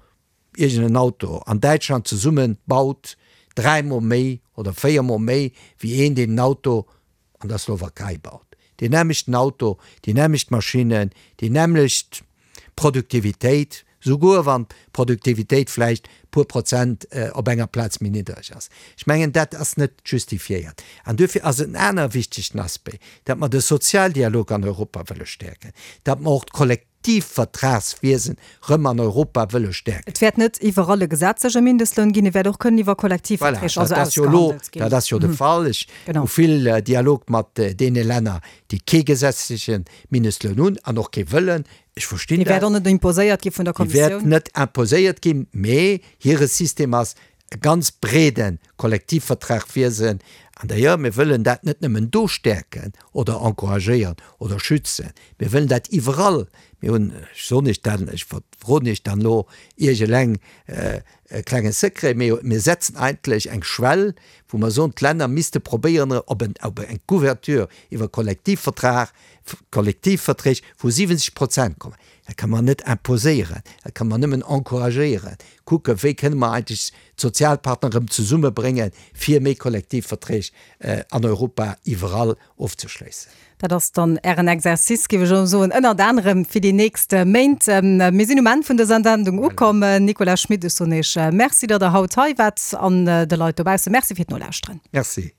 S4: iergend en Auto an Däitschland zesumme baut, dräimol méi oder véiermol méi wéi een, deen en Auto an der Slowakei baut? Deen nämmlechten Auto, déi nämmlecht Maschinnen, déi nämmlecht Produktivitéit, souguer wann d'Produktivitéit vläicht e puer Prozent op enger Plaz méi niddreg ass. Ech mengen, dat ass net justifiéiert. An duerfir ass et en aner wichtegen Aspect, datt mer de Sozialdialog an Europa wëlle stäerken, datt mer och d'Kollektivvertragswiesen erëm an Europa wëlle stäerken.
S3: Et wäert net iwwerall e gesetzleche Mindestloun ginn, e wäert och kënnen iwwer Kollektivverträg
S4: also ausgehandelt ginn. Dat ass jo de Fall. Ech hu vill Dialog mat deene Länner, déi kee gesetzleche Mindestloun hunn an och kee wëllen. Ech verstinn
S3: dat. Dee wäert och net imposéiert gi vun der
S4: Kommissioun. Dee wäert net imposéiert ginn, mee hire System ass e ganz breede Kollektivvertragwiesen. An d'ailleurs, mir wëllen dat net nëmmen do stäerken oder encouragéieren oder schützen, mir wëllen dat iwwerall. Mir hunn, ech soen Iech dat, ech verroden Iech dann elo Iech eleng e klenge Secret, mee mir setzen eigentlech eng Schwell, wou mer soen, d'Länner misste probéieren op eng Couverture iwwer Kollektivvertrag, Kollektivverträg vu siwwenzeg Prozent kommen. Dat ka mer net imposéieren, dat ka mer nëmmen encouragéieren, kucken, wéi kënne mer eigentlech d'Sozialpartner erëm zesummebréngen, fir méi Kollektivverträg an Europa iwwerall ofzeschléissen.
S3: Dat ass dann Ären Exercice, géif ech elo soen, ënnert anerem fir déi nächst Méint. Mir sinn um Enn vun dëser Sendung ukomm. Nicolas Schmit, ech soen Iech Merci, datt Der haut hei waart, an de Leit dobausse Merci fir d'Nolauschteren.
S4: Merci.